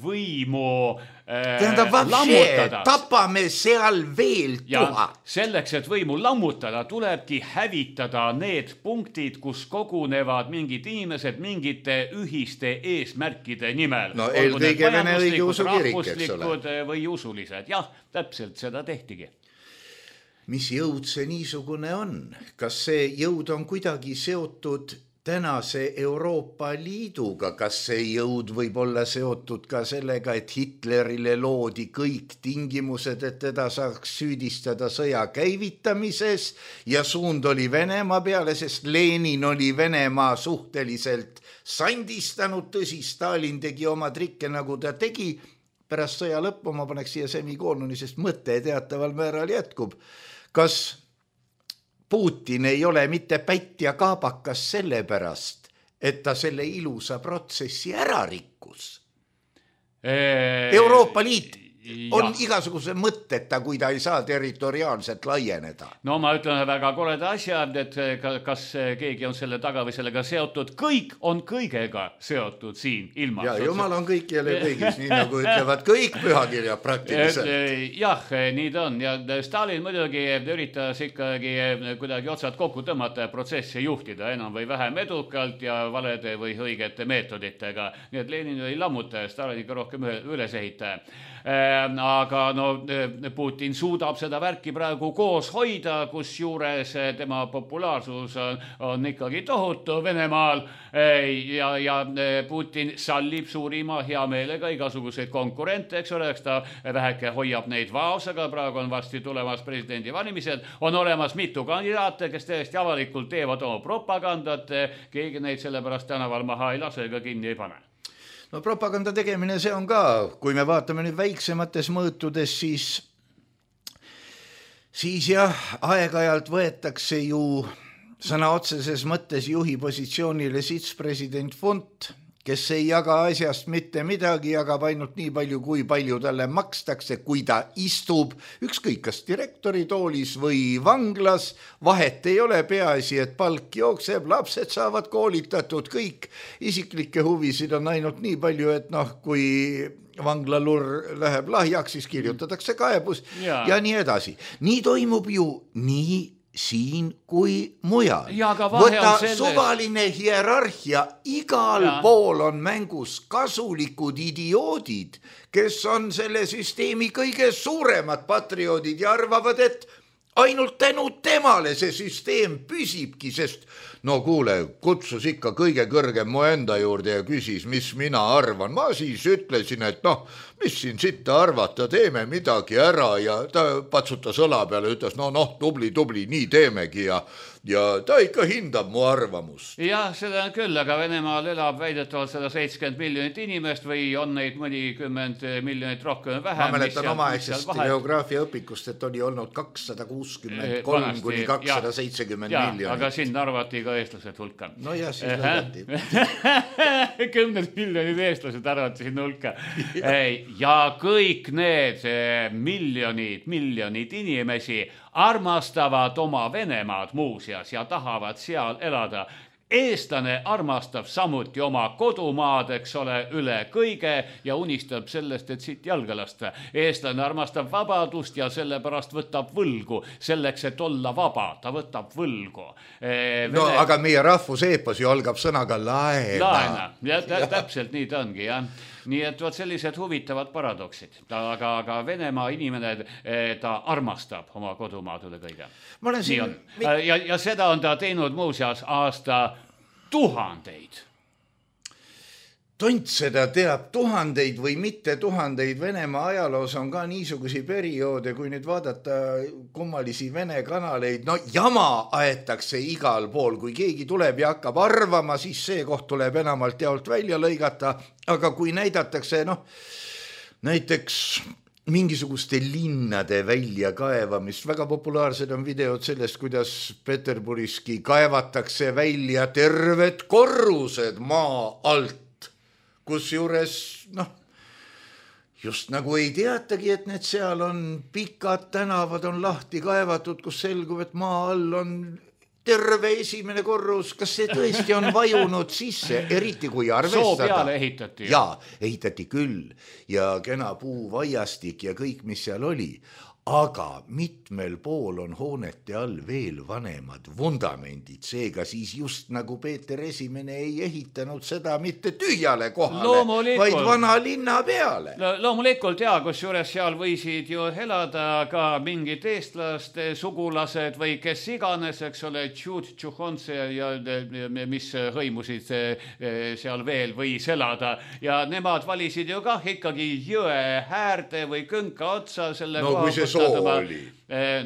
võimu tähendab, lammutada. Tapame seal veel tuhat. Selleks, et võimu lammutada, tulebki hävitada need punktid, kus kogunevad mingid inimesed mingite ühiste eesmärkide nimel. No eelkõige Vene õigeusu kirik, eks ole. Või usulised. Jah, täpselt seda tehtigi. Mis jõud see niisugune on? Kas see jõud on kuidagi seotud tänase Euroopa Liiduga, kas see jõud võib olla seotud ka sellega, et Hitlerile loodi kõik tingimused, et teda saaks süüdistada sõja käivitamises ja suund oli Venemaa peale, sest Lenin oli Venemaa suhteliselt sandistanud, tõsi, Stalin tegi oma trikke, nagu ta tegi. Pärast sõja lõppu ma paneks siia semikooluni, sest mõte teataval määral jätkub. Kas Putin ei ole mitte pätt ja kaabakas sellepärast, et ta selle ilusa protsessi ära rikkus? Euroopa Liit on ja. igasuguse mõtteta, kui ta ei saa territoriaalselt laieneda. No ma ütlen väga koreda asja, et kas keegi on selle taga või sellega seotud. Kõik on kõigega seotud siin ilmas. Ja jumal on kõik jälle kõigis, nii nagu ütlevad kõik pühakirjad praktiliselt. Jah, nii ta on. Ja Stalin muidugi üritas ikkagi kuidagi otsad kokku tõmmata ja protsessi juhtida enam või vähem edukalt ja valede või õigete meetoditega. Nii et Lenin oli lammutaja, Stalin ikka rohkem üles ehitaja. Aga no, Putin suudab seda värki praegu koos hoida, kus juures tema populaarsus on, on ikkagi tohutu Venemaal ja, ja Putin sallib suurima hea meelega igasuguseid konkurente, eks ole, eks ta väheke hoiab neid vaos, aga praegu on vasti tulemas presidendi valimised, on olemas mitu kandidaate, kes tõesti avalikult teevad oma propagandat, keegi neid sellepärast tänaval maha ei lase ega kinni ei pane. No propaganda tegemine see on ka, kui me vaatame nüüd väiksemates mõõtudes, siis siis jah, aeg-ajalt võetakse ju sõna otseses mõttes juhi positsioonile sitspresident Funt, kes ei jaga asjast mitte midagi, jagab ainult nii palju, kui palju talle makstakse, kui ta istub, ükskõik kas direktori toolis või vanglas, vahet ei ole, peaasi, et palk jookseb, lapsed saavad koolitatud, kõik isiklikke huvisid on ainult nii palju, et noh, kui vanglalur läheb lahjaks, siis kirjutatakse kaebus ja, ja nii edasi. Nii toimub ju nii siin kui mujal. Võta selles... suvaline hierarhia, igal ja. Pool on mängus kasulikud idioodid, kes on selle süsteemi kõige suuremad patrioodid ja arvavad, et ainult tänu temale see süsteem püsibki, sest no kuule, kutsus ikka kõige kõrgem mu enda juurde ja küsis, mis mina arvan. Ma siis ütlesin, et noh, mis siin sitta arvata, teeme midagi ära ja ta patsutas õla peale ja ütles, no noh, tubli, tubli, nii teemegi ja, ja ta ikka hindab mu arvamus. Jah, seda on küll, aga Venemaal elab väidetavalt sada seitsekümmend miljonit inimest või on neid mõnikümmend miljonit rohkem vähem. Ma mäletan oma eksest geograafia õpikust, et oli olnud kakssada kuuskümmend kolm kuni kakssada seitsekümmend miljonit. Aga siin arvati ka eestlased hulka. No jah, siis lõigati. Kümned miljonid eestlased arvati sinna hulka. Ja kõik need miljonid, miljonid inimesi armastavad oma Venemaad muuseas ja tahavad seal elada. Eestlane armastab samuti oma kodumaad, eks ole, üle kõige ja unistab sellest, et siit jalga lasta. Eestlane armastab vabadust ja sellepärast võtab võlgu. Selleks, et olla vaba, ta võtab võlgu. Vene... No aga meie rahvuseepos ju algab sõnaga laena. Laena, ja tä- täpselt nii ta ongi, jah. Nii et võt sellised huvitavad paradoksid, aga, aga Venemaa inimene, ta armastab oma kodumaad üle kõige. Nii on. Ja, ja seda on ta teinud muuseas aasta tuhandeid. Tont seda teab tuhandeid või mitte tuhandeid. Venemaa ajaloos on ka niisugusi perioode, kui nüüd vaadata kummalisi Vene kanaleid, no jama aetakse igal pool, kui keegi tuleb ja hakkab arvama, siis see koht tuleb enamalt jaolt välja lõigata, aga kui näidatakse, noh, näiteks mingisuguste linnade välja kaevamist, väga populaarsed on videod sellest, kuidas Peterburiski kaevatakse välja terved korrused maa alt, kus juures, noh, just nagu ei teatagi, et need seal on pikad tänavad, on lahti kaevatud, kus selgub, et maa all on terve esimene korrus. Kas see tõesti on vajunud sisse, eriti kui arvestada? Soo peale ehitati. Jaa, ehitati küll ja kena puu vaiastik ja kõik, mis seal oli. Aga mitmel pool on hoonete all veel vanemad vundamendid, seega siis just nagu Peeter Esimene ei ehitanud seda mitte tühjale kohale, vaid vana linna peale. Lo- loomulikult, jaa, kus juures seal võisid ju elada ka mingid eestlaste sugulased või kes iganes, eks ole, Tšut, Tšuhonse ja mis hõimusid seal veel võis elada. Ja nemad valisid ju kah ikkagi jõe häärde või künka otsa selle no, koha. Soo oli.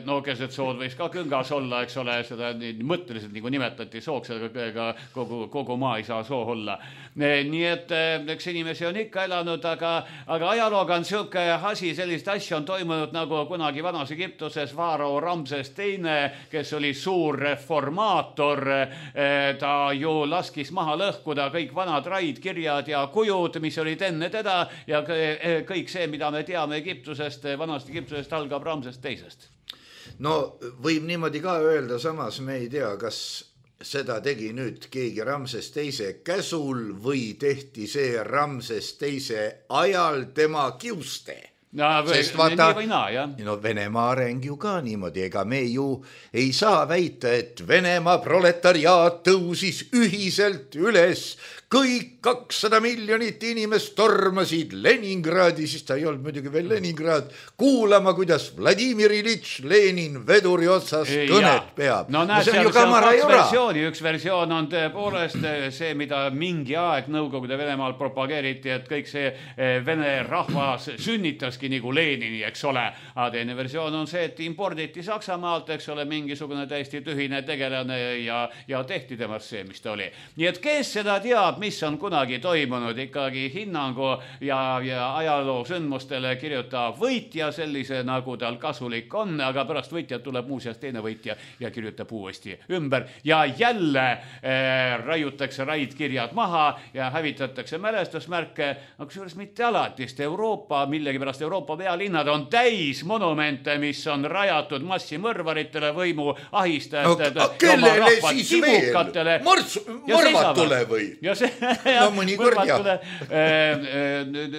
No keset sood võis ka küngas olla, eks ole, seda mõtteliselt nagu nimetati sooks, aga kogu, kogu maa ei saa soo olla. Nii et eks inimesi on ikka elanud, aga, aga ajalooga on siuke asi, sellist asja on toimunud nagu kunagi vanas Egiptuses Vaaro Ramses teine, kes oli suur reformaator. Ta ju laskis maha lõhkuda kõik vanad raid, kirjad ja kujud, mis olid enne teda ja kõik see, mida me teame Egiptusest, vanast Egiptusest algab Ramses teisest. No võib niimoodi ka öelda, samas me ei tea, kas seda tegi nüüd keegi Ramses teise käsul või tehti see Ramses teise ajal tema kiuste. No, või, sest vaata, nii või naa, jah. No Venemaa areng ju ka niimoodi, ega me ju ei saa väita, et Venemaa proletariaat tõusis ühiselt üles. Kõik kakssada miljonit inimest tormasid Leningradi, siis ta ei olnud muidugi veel Leningrad, kuulama, kuidas Vladimir Ilitš Lenin veduri otsas kõnet peab. No näed, no, seal, seal on kaks versiooni. Üks versioon on tõepoolest see, mida mingi aeg Nõukogude Venemaal propageeriti, et kõik see Vene rahvas sünnitas umbeski nagu Lenini, eks ole. Aga teine versioon on see, et imporditi Saksamaalt, eks ole, mingisugune täiesti tühine tegelane ja, ja tehti temast see, mis ta oli. Nii et kes seda teab, mis on kunagi toimunud, ikkagi hinnangu ja, ja ajaloo sündmustele kirjutab võitja sellise, nagu tal kasulik on, aga pärast võitjat tuleb muuseas teine võitja ja kirjutab uuesti ümber ja jälle äh, raiutakse raidkirjad maha ja hävitatakse mälestusmärke, aga juures mitte alati, sest Euroopa, millegipärast Euroopa pealinnad on täis monumente, mis on rajatud massimõrvaritele, võimu ahistajatele no,, oma rahva timukatele. Mõrvatule või? Ja see, no mõnikord jah.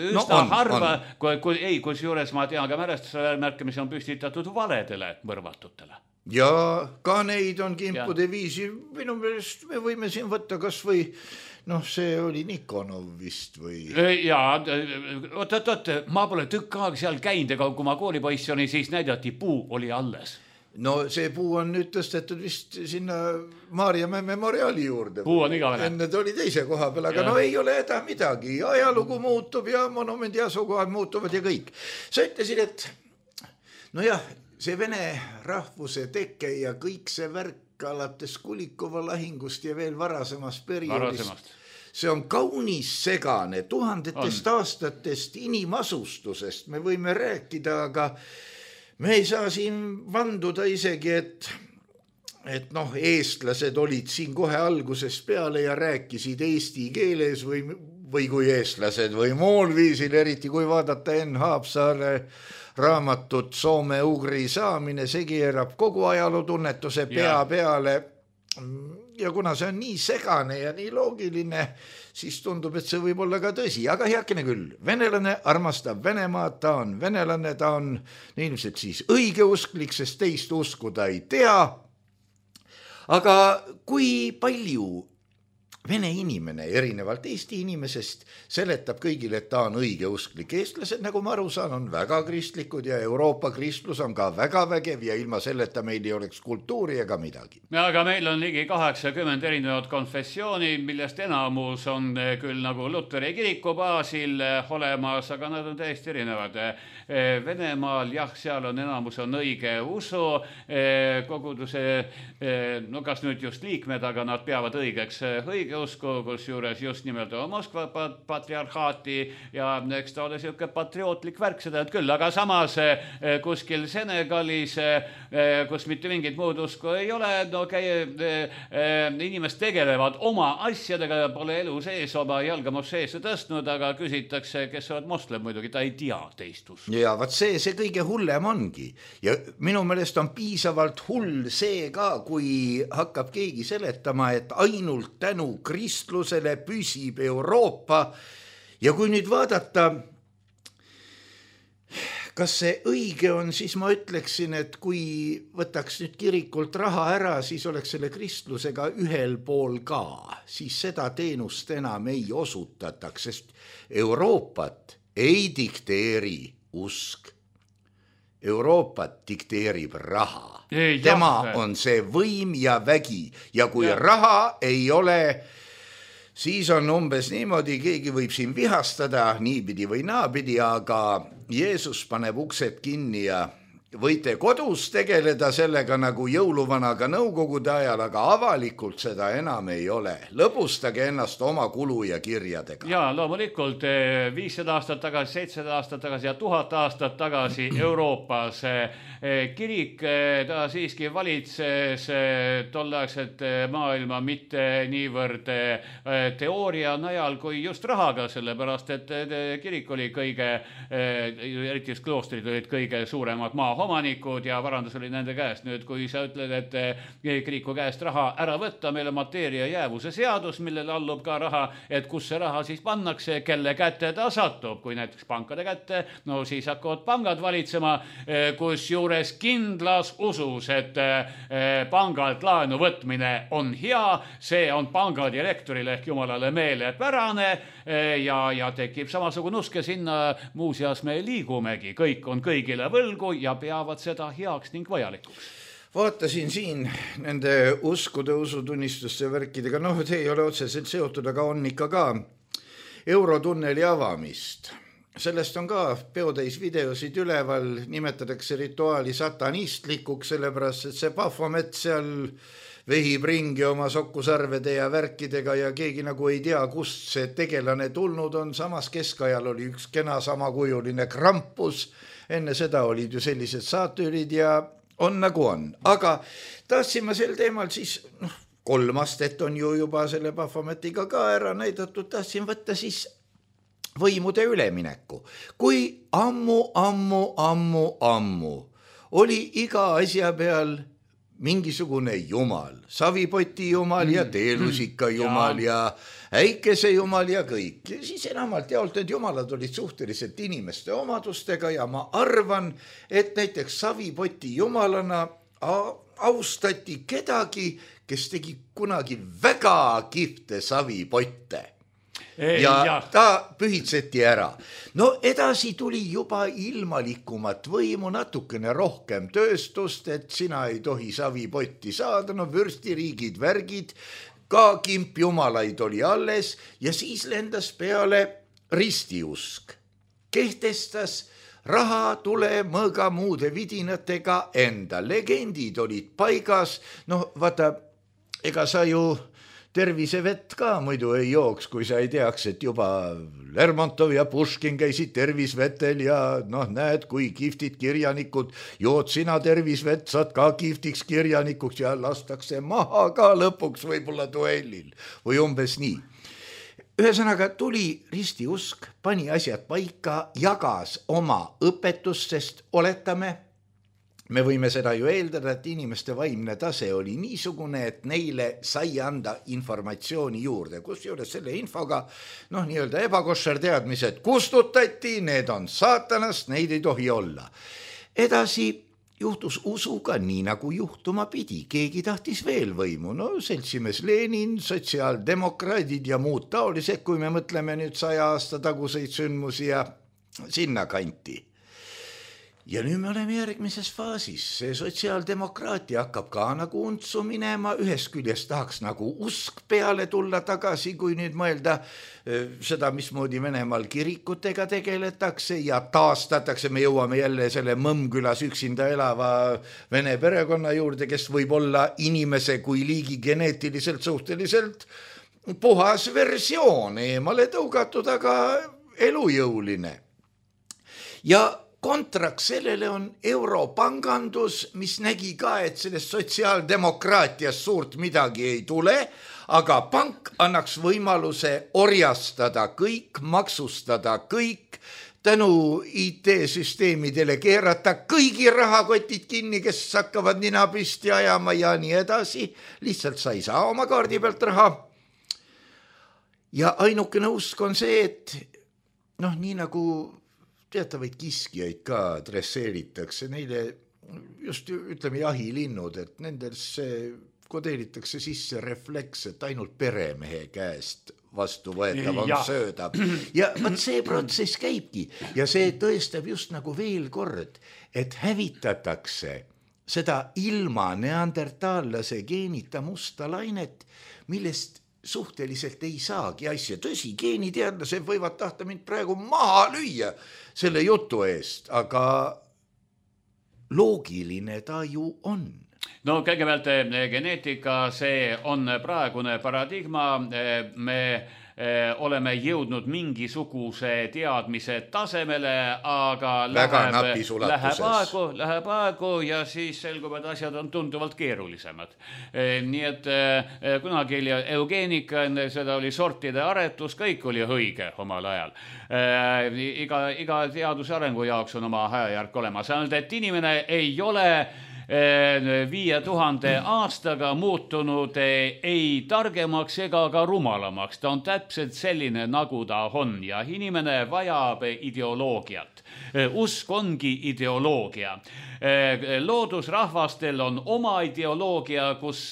Üsna no, harva, kui, kui, ei, kus juures ma tean ka mälestusmärke, mis on püstitatud valedele mõrvatutele. Ja ka neid on kimpude ja. Viisi. Minu meelest me võime siin võtta kas või, noh, see oli Nikonov vist või? Jaa, oot, oot, oot, ma pole tükk aeg seal käinud, aga kui ma koolipoiss oli, siis näidati puu oli alles. No see puu on nüüd tõstetud vist sinna Maarjamäe memoriaali juurde. Puu on igavene. Enne ta oli teise koha peal, aga ja. No ei ole häda midagi. Ajalugu muutub ja monumendi asukohad muutuvad ja kõik. Sa ütlesid, et no jah, see vene rahvuse teke ja kõik see värk alates Kulikova lahingust ja veel varasemast perioodist. Varasemast. See on kaunis segane. Tuhandetest on. Aastatest inimasustusest me võime rääkida, aga me ei saa siin vanduda isegi, et, et noh, eestlased olid siin kohe algusest peale ja rääkisid eesti keeles või, või kui eestlased või muul viisil, eriti kui vaadata Enn Haapsaare raamatut Soome-Ugri saamine, see keerab kogu ajalootunnetuse pea ja. Peale. Ja kuna see on nii segane ja nii loogiline, siis tundub, et see võib olla ka tõsi. Aga heakene küll, venelane armastab Venemaad, ta on venelane, ta on ilmselt siis õigeusklik, sest teist uskuda ei tea. Aga kui palju vene inimene erinevalt Eesti inimesest seletab kõigile, et ta on õigeusklik. Eestlased, nagu ma aru saan, on väga kristlikud ja Euroopa kristlus on ka väga vägev ja ilma selleta meil ei oleks kultuuri ega midagi. Ja, aga meil on ligi kaheksakümmend erinevat konfessiooni, millest enamus on küll nagu Luteri kiriku baasil olemas, aga nad on täiesti erinevad. Venemaal, jah, seal on enamus on õige usu, koguduse, no kas nüüd just liikmed, aga nad peavad õigeks õige usku, kus juures just nimelt Moskva patriarhaati ja eks ta ole siuke patriootlik värk seda et küll, aga samas kuskil Senegalis, kus mitte mingit muud usku ei ole, no käi, inimesed tegelevad oma asjadega ja pole elu sees oma jalga mosseesse tõstnud, aga küsitakse, kes oled moslem, muidugi ta ei tea teist usku. Ja vaat see, see kõige hullem ongi ja minu meelest on piisavalt hull see ka, kui hakkab keegi seletama, et ainult tänu kristlusele püsib Euroopa ja kui nüüd vaadata, kas see õige on, siis ma ütleksin, et kui võtaks nüüd kirikult raha ära, siis oleks selle kristlusega ühel pool ka, siis seda teenust enam ei osutataks, sest Euroopat ei dikteeri usk. Euroopat dikteerib raha. Ei, tema jah, on see võim ja vägi ja kui ja. Raha ei ole, siis on umbes niimoodi, keegi võib siin vihastada niipidi või naapidi, aga Jeesus paneb uksed kinni ja võite kodus tegeleda sellega nagu jõuluvanaga nõukogude ajal, aga avalikult seda enam ei ole. Lõbustage ennast oma kulu ja kirjadega. Ja loomulikult viissada aastat tagasi, seitsesada aastat tagasi ja tuhat aastat tagasi Euroopas kirik, ta siiski valitses tolleaegset maailma mitte niivõrd teooria najal kui just rahaga, sellepärast et kirik oli kõige, eriti just kloostrid olid kõige suuremad maa omanikud ja varandus oli nende käest. Nüüd, kui sa ütled, et kiriku käest raha ära võtta, meil on mateeria jäävuse seadus, millele allub ka raha, et kus see raha siis pannakse, kelle kätte ta satub. Kui näiteks pankade kätte, no siis hakkavad pangad valitsema, kus juures kindlas usus, et pangalt laenu võtmine on hea, see on panga direktorile ehk jumalale meelepärane ja, ja tekib samasugune usk ja sinna muuseas me liigumegi. Kõik on kõigile võlgu ja peavad seda heaks ning vajalikuks. Vaatasin siin nende uskude, usutunnistuste värkidega, noh, see ei ole otseselt seotud, aga on ikka ka Eurotunneli avamist. sellest on ka peotäis videosid üleval, nimetatakse rituaali satanistlikuks, sellepärast, et see Baphomet seal vehib ringi oma sokkusarvede ja värkidega ja keegi nagu ei tea, kust see tegelane tulnud on. Samas keskajal oli üks kena samakujuline Krampus, enne seda olid ju sellised saatürid ja on nagu on. Aga tahtsin ma sel teemal siis, noh, kolm astet on ju juba selle Baphometiga ka ära näidatud, tahtsin võtta siis võimude ülemineku. Kui ammu, ammu, ammu, ammu oli iga asja peal mingisugune jumal, savipoti jumal ja teelusika jumal ja äikese jumal ja kõik. Siis enamalt jaolt need jumalad olid suhteliselt inimeste omadustega ja ma arvan, et näiteks savipoti jumalana austati kedagi, kes tegi kunagi väga kihvte savipotte. Ei, ja, ja ta pühitseti ära. No edasi tuli juba ilmalikumat võimu, natukene rohkem tööstust, et sina ei tohi savipotti saada, no vürstiriigid, värgid, ka kimpjumalaid oli alles ja siis lendas peale ristiusk. Kehtestas raha, tule, mõõga muude vidinatega enda. Legendid olid paigas, no vaata, ega sa ju tervisevett ka muidu ei jooks, kui sa ei teaks, et juba Lermontov ja Puškin käisid tervisvetel ja noh, näed, kui kihvtid kirjanikud, jood sina tervisvett, saad ka kihvtiks kirjanikuks ja lastakse maha ka lõpuks võib-olla duellil või umbes nii. Ühesõnaga tuli ristiusk, pani asjad paika, jagas oma õpetust, sest oletame, me võime seda ju eeldada, et inimeste vaimne tase oli niisugune, et neile sai anda informatsiooni juurde, kus juures selle infoga, noh, nii-öelda ebakoššer teadmised kustutati, need on saatanast, neid ei tohi olla. Edasi juhtus usuga nii, nagu juhtuma pidi, keegi tahtis veel võimu, no seltsimees Lenin, sotsiaaldemokraadid ja muud taolised, kui me mõtleme nüüd saja aasta taguseid sündmusi ja sinna kanti. Ja nüüd me oleme järgmises faasis, see sotsiaaldemokraatia hakkab ka nagu untsu minema, ühest küljest tahaks nagu usk peale tulla tagasi, kui nüüd mõelda seda, mismoodi Venemaal kirikutega tegeletakse ja taastatakse, me jõuame jälle selle Mõmmkülas üksinda elava vene perekonna juurde, kes võib olla inimese kui liigi geneetiliselt suhteliselt puhas versioon, eemale tõugatud, aga elujõuline. Ja kontraks sellele on europangandus, mis nägi ka, et sellest sotsiaaldemokraatias suurt midagi ei tule, aga pank annaks võimaluse orjastada kõik, maksustada kõik, tänu I T-süsteemidele keerata kõigi rahakotid kinni, kes hakkavad nina püsti ajama ja nii edasi. Lihtsalt sa ei saa oma kaardi pealt raha. Ja ainukene usk on see, et noh, nii nagu teatavaid kiskijaid ka dresseeritakse, neile just ütleme jahilinnud, et nendesse kodeeritakse sisse refleks, et ainult peremehe käest vastu võetav on ja. Sööda. Ja võt see protsess käibki ja see tõestab just nagu veel kord, et hävitatakse seda ilma neandertaallase geenita musta lainet, millest suhteliselt ei saagi asja. Tõsi, geeniteadlased võivad tahta mind praegu maha lüüa selle jutu eest, aga loogiline ta ju on. No kõigepealt geneetika, see on praegune paradigma, me oleme jõudnud mingisuguse teadmise tasemele, aga läheb, läheb, aegu, läheb aegu ja siis selgub, et asjad on tunduvalt keerulisemad. Nii et kunagi oli eugeenika, seda oli sortide aretus, kõik oli õige omal ajal. Iga, iga teaduse arengu jaoks on oma ajajärk olemas. Ainult, et inimene ei ole viie tuhande aastaga muutunud ei targemaks ega ka rumalamaks. Ta on täpselt selline, nagu ta on ja inimene vajab ideoloogiat. Usk ongi ideoloogia. Loodusrahvastel on oma ideoloogia, kus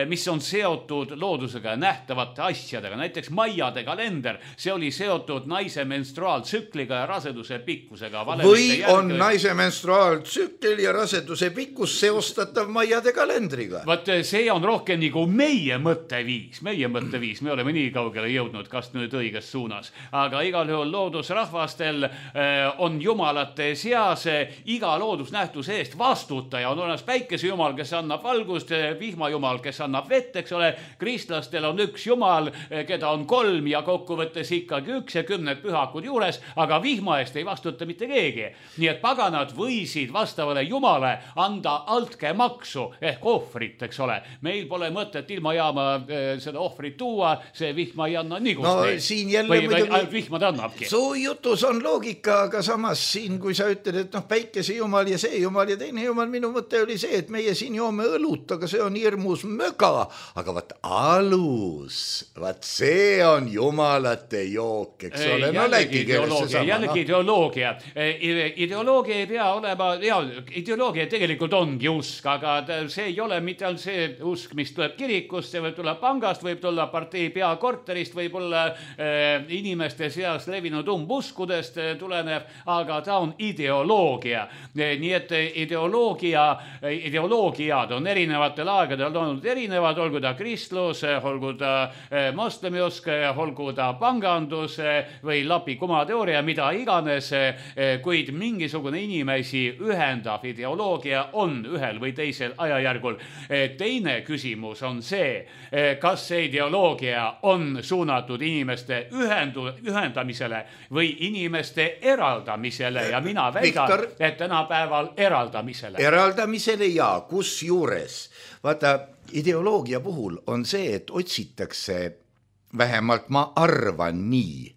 mis on seotud loodusega ja nähtavate asjadega. Näiteks Maiade kalender, see oli seotud naise menstruaaltsükliga ja raseduse pikkusega. Või on naise menstruaaltsükkel ja raseduse pikkus seostatav Maiade kalendriga? Vaat see on rohkem nagu meie mõtteviis, meie mõtteviis, me oleme nii kaugele jõudnud, kas nüüd õiges suunas. Aga igal juhul loodusrahvastel on jumalate seas iga loodusnähtuse eest vastutaja. On olemas päikesejumal, kes annab valgust, vihmajumal, kes annab vett, eks ole. Kristlastel on üks jumal, keda on kolm ja kokkuvõttes ikkagi üks ja kümned pühakud juures, aga vihma eest ei vastuta mitte keegi. Nii et paganad võisid vastavale jumale anda altke maksu ehk ohvrit, eks ole. Meil pole mõtet ilma jaama seda ohvrit tuua, see vihma ei anna nigust no, neid. Siin jälle või, muidugi... või vihma ta annabki. Su jutus on loogika, aga samas siin, kui sa ütled, et noh, päikese jumal ja see jumal ja teine jumal, minu mõte oli see, et meie siin joome õlut, aga see on hirmus möga, aga vaat alus, vaat see on jumalate jook, eks ole, no läki keelest see sama. Jällegi ideoloogia. Ideoloogia ei pea olema, ja, ideoloogia tegelikult ongi usk, aga see ei ole mitte ainult see usk, mis tuleb kirikust, see võib tulla pangast, võib tulla partei peakorterist, võib olla äh, inimeste seas levinud umbuskudest äh, tulenev, aga ta on ideoloogia. Nii et ideoloogia, ideoloogiad on erinevatel aegadel olnud erinevad, olgu ta kristlus, olgu ta äh, moslemiusk, olgu ta pangandus või lapi kumateooria, mida iganes, äh, kuid mingisugune inimesi ühendav ideoloogia on ühel või teisel ajajärgul. Äh, teine küsimus on see, kas see ideoloogia on suunatud inimeste ühendu, ühendamisele või inimeste eraldamisele ja mina väidan, Victor, et tänapäeval eraldamisele. Eraldamisele ja kus juures. Vaata, ideoloogia puhul on see, et otsitakse, vähemalt ma arvan nii,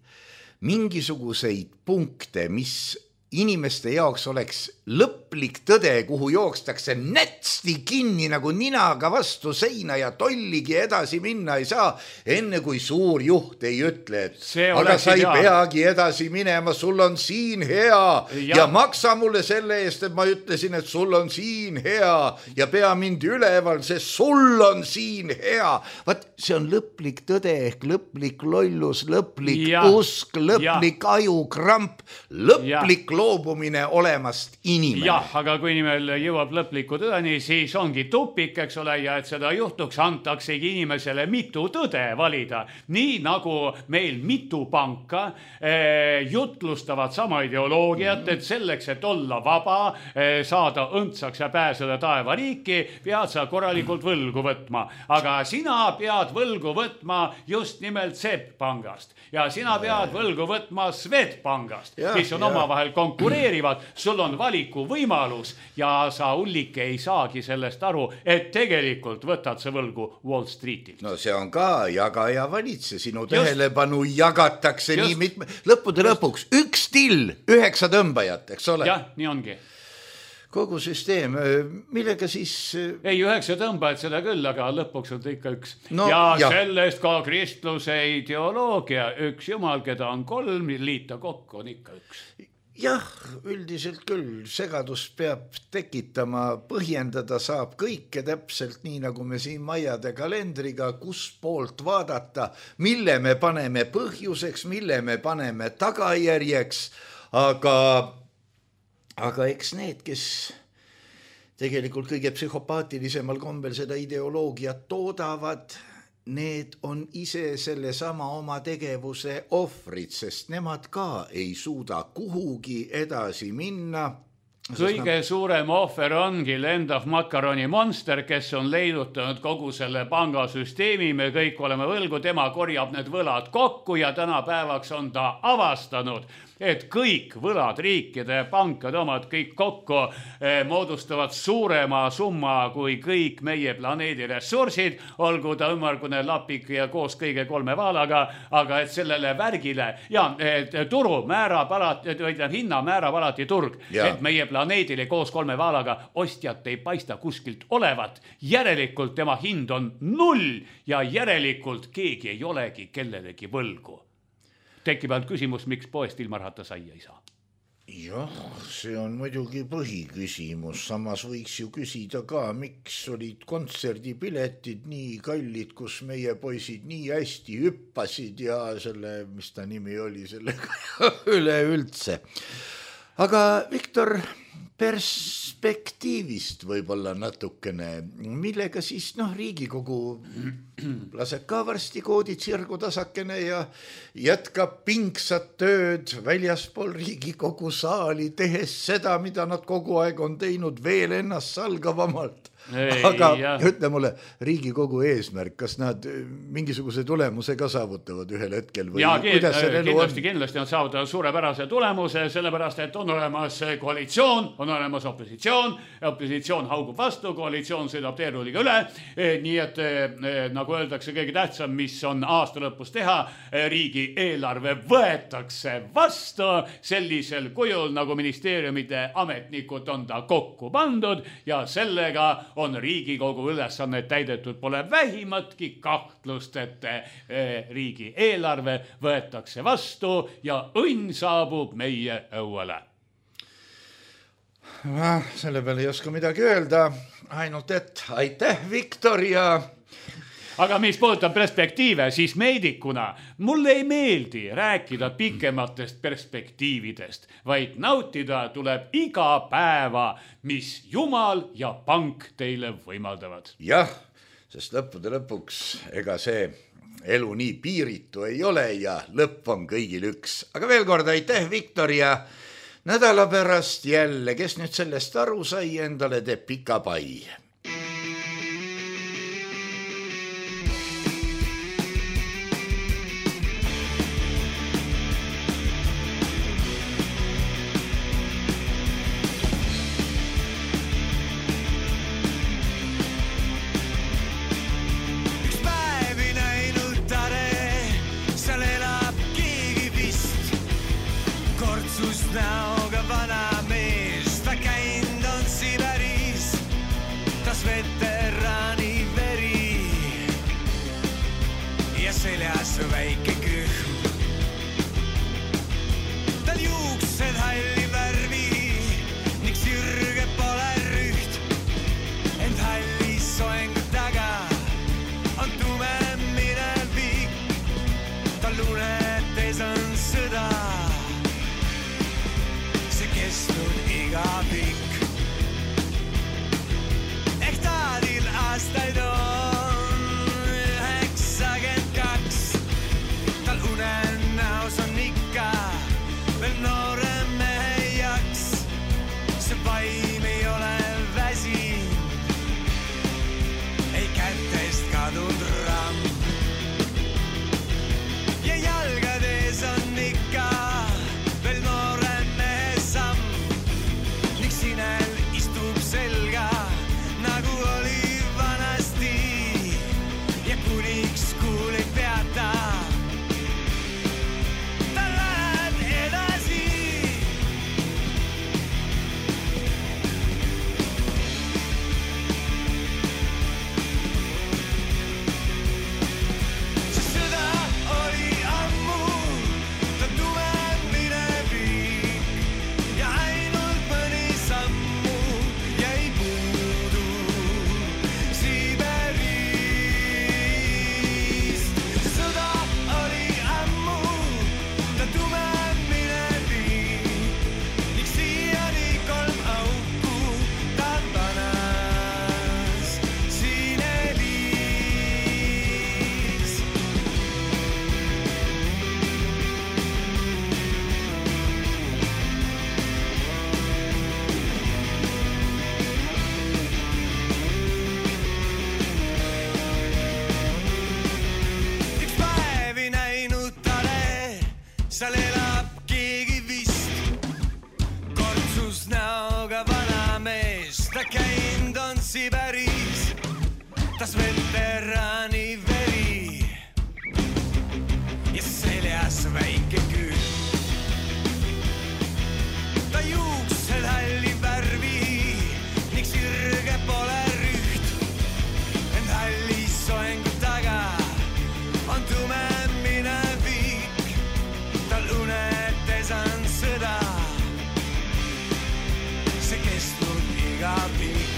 mingisuguseid punkte, mis inimeste jaoks oleks lõplik tõde, kuhu jookstakse nätsti kinni nagu ninaga vastu seina ja tolligi edasi minna ei saa, enne kui suur juht ei ütle, et aga sa ei peagi edasi minema, sul on siin hea ja. ja maksa mulle selle eest, et ma ütlesin, et sul on siin hea ja pea mind üleval, sest sul on siin hea. Vaat see on lõplik tõde ehk lõplik lollus, lõplik ja. usk, lõplik ja. ajukramp, lõplik ja. loobumine olemast inimene. Jah, aga kui nimel jõuab lõpliku tõeni, siis ongi tupik, eks ole, ja et seda juhtuks, antaksegi inimesele mitu tõde valida. Nii nagu meil mitu panka eh, jutlustavad sama ideoloogiat, et selleks, et olla vaba, eh, saada õndsaks ja pääseda taevariiki, pead sa korralikult võlgu võtma. Aga sina pead võlgu võtma just nimelt SEB pangast. Ja sina pead võlgu võtma Swedbankast, mis on omavahel konkureerivad. Sul on valiku võimalus ja sa ullike ei saagi sellest aru, et tegelikult võtad sa võlgu Wall Streetilt. No see on ka jaga ja valitse, sinu tähelepanu jagatakse just. Nii mitme, lõppude just. Lõpuks üks till, üheksa tõmbajat, eks ole? Jah, nii ongi. Kogu süsteem, millega siis... Ei, üheksa tõmbajad seda küll, aga lõpuks on ikka üks. No, ja, ja sellest ka kristluse ideoloogia, üks jumal, keda on kolm, liita kokku on ikka üks. Jah, üldiselt küll, segadust peab tekitama, põhjendada saab kõike täpselt nii, nagu me siin Maiade kalendriga, kus poolt vaadata, mille me paneme põhjuseks, mille me paneme tagajärjeks, aga, aga eks need, kes tegelikult kõige psühhopaatilisemal kombel seda ideoloogiat toodavad, need on ise selle sama oma tegevuse ohvrid, sest nemad ka ei suuda kuhugi edasi minna. Kõige nad... suurem ohver ongi lendav makaroni monster, kes on leidutanud kogu selle pangasüsteemi, me kõik oleme võlgu, tema korjab need võlad kokku ja tänapäevaks on ta avastanud, et kõik võlad, riikide, pankade omad, kõik kokku eh, moodustavad suurema summa kui kõik meie planeedi ressursid, olgu ta ümmargune lapik ja koos kõige kolme vaalaga, aga et sellele värgile ja et turu määrab alati, hinna määrab alati turg, ja. Et meie planeedile koos kolme vaalaga ostjat ei paista kuskilt olevat, järelikult tema hind on null ja järelikult keegi ei olegi kellelegi võlgu. Tekib ainult küsimus, miks poest ilma rahata saia ei saa. Jah, see on muidugi põhiküsimus, samas võiks ju küsida ka, miks olid kontserdipiletid nii kallid, kus meie poisid nii hästi hüppasid ja selle, mis ta nimi oli, sellega üleüldse. Aga Viktor, perspektiivist võib-olla natukene, millega siis noh, Riigikogu laseb ka varsti koodid sirgu tasakene ja jätkab pingsat tööd väljaspool Riigikogu saali, tehes seda, mida nad kogu aeg on teinud veel ennast salgavamalt. Ei, aga jah. Ütle mulle, Riigikogu eesmärk, kas nad mingisuguse tulemuse ka saavutavad ühel hetkel? Või ja kindlasti, kindlasti on saavutavad suurepärase tulemuse, sellepärast, et on olemas koalitsioon, on olemas opositsioon, opositsioon haugub vastu, koalitsioon sõidab teeruuliga üle, nii et nagu öeldakse, kõige tähtsam, mis on aasta lõpus teha, riigi eelarve võetakse vastu sellisel kujul, nagu ministeeriumide ametnikud on ta kokku pandud ja sellega on Riigikogu ülesannet täidetud, pole vähimatki kahtlust, et riigi eelarve võetakse vastu ja õnn saabub meie õuele. Selle peale ei oska midagi öelda, ainult et aitäh, Viktor, ja aga mis puudutab perspektiive, siis meedikuna mulle ei meeldi rääkida pikematest perspektiividest, vaid nautida tuleb iga päeva, mis Jumal ja pank teile võimaldavad. Jah, sest lõppude lõpuks ega see elu nii piiritu ei ole ja lõpp on kõigil üks. Aga veel kord aitäh, Viktor, ja nädala pärast jälle, kes nüüd sellest aru sai, endale teeb pika pai. Näoga vana mees, ta käind on Siberis, tas veterani veri ja seljas väike kõhm. Tal juuksed halli värvi, ning sirge pole rüht, ent halli soengu taga on tume minevik, tal lunetes on sõda. Kestnud iga pikk. Ehk taadil aastaid on üheksakümmend kaks. Tal unenäos on ikka veel noorem mehe jaks. See vaim ei ole väsinud, ei kätest kadunud ramm. Ja jalgades on ikka veel noorem istub selga, nagu oli vanasti ja kuniks kuul ei peata. Ta lähed edasi. See sõda oli ammu, ta tume minevik ja ainult mõni samm seal elab keegi vist, kortsus näoga vana mees, ta käind on Siberis, tas veterani veri ja seljas väike küül. Ta juuksed halli värvi, ning sirge pole rüht, ent halli soengu taga on tume minevik. Tal unetes on sõda liiga pikk.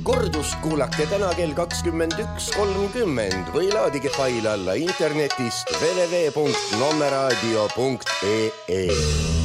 Kordust kuulake täna kell kakskümmend üks kolmkümmend või laadige fail alla internetist w w w punkt nommeraadio punkt e e.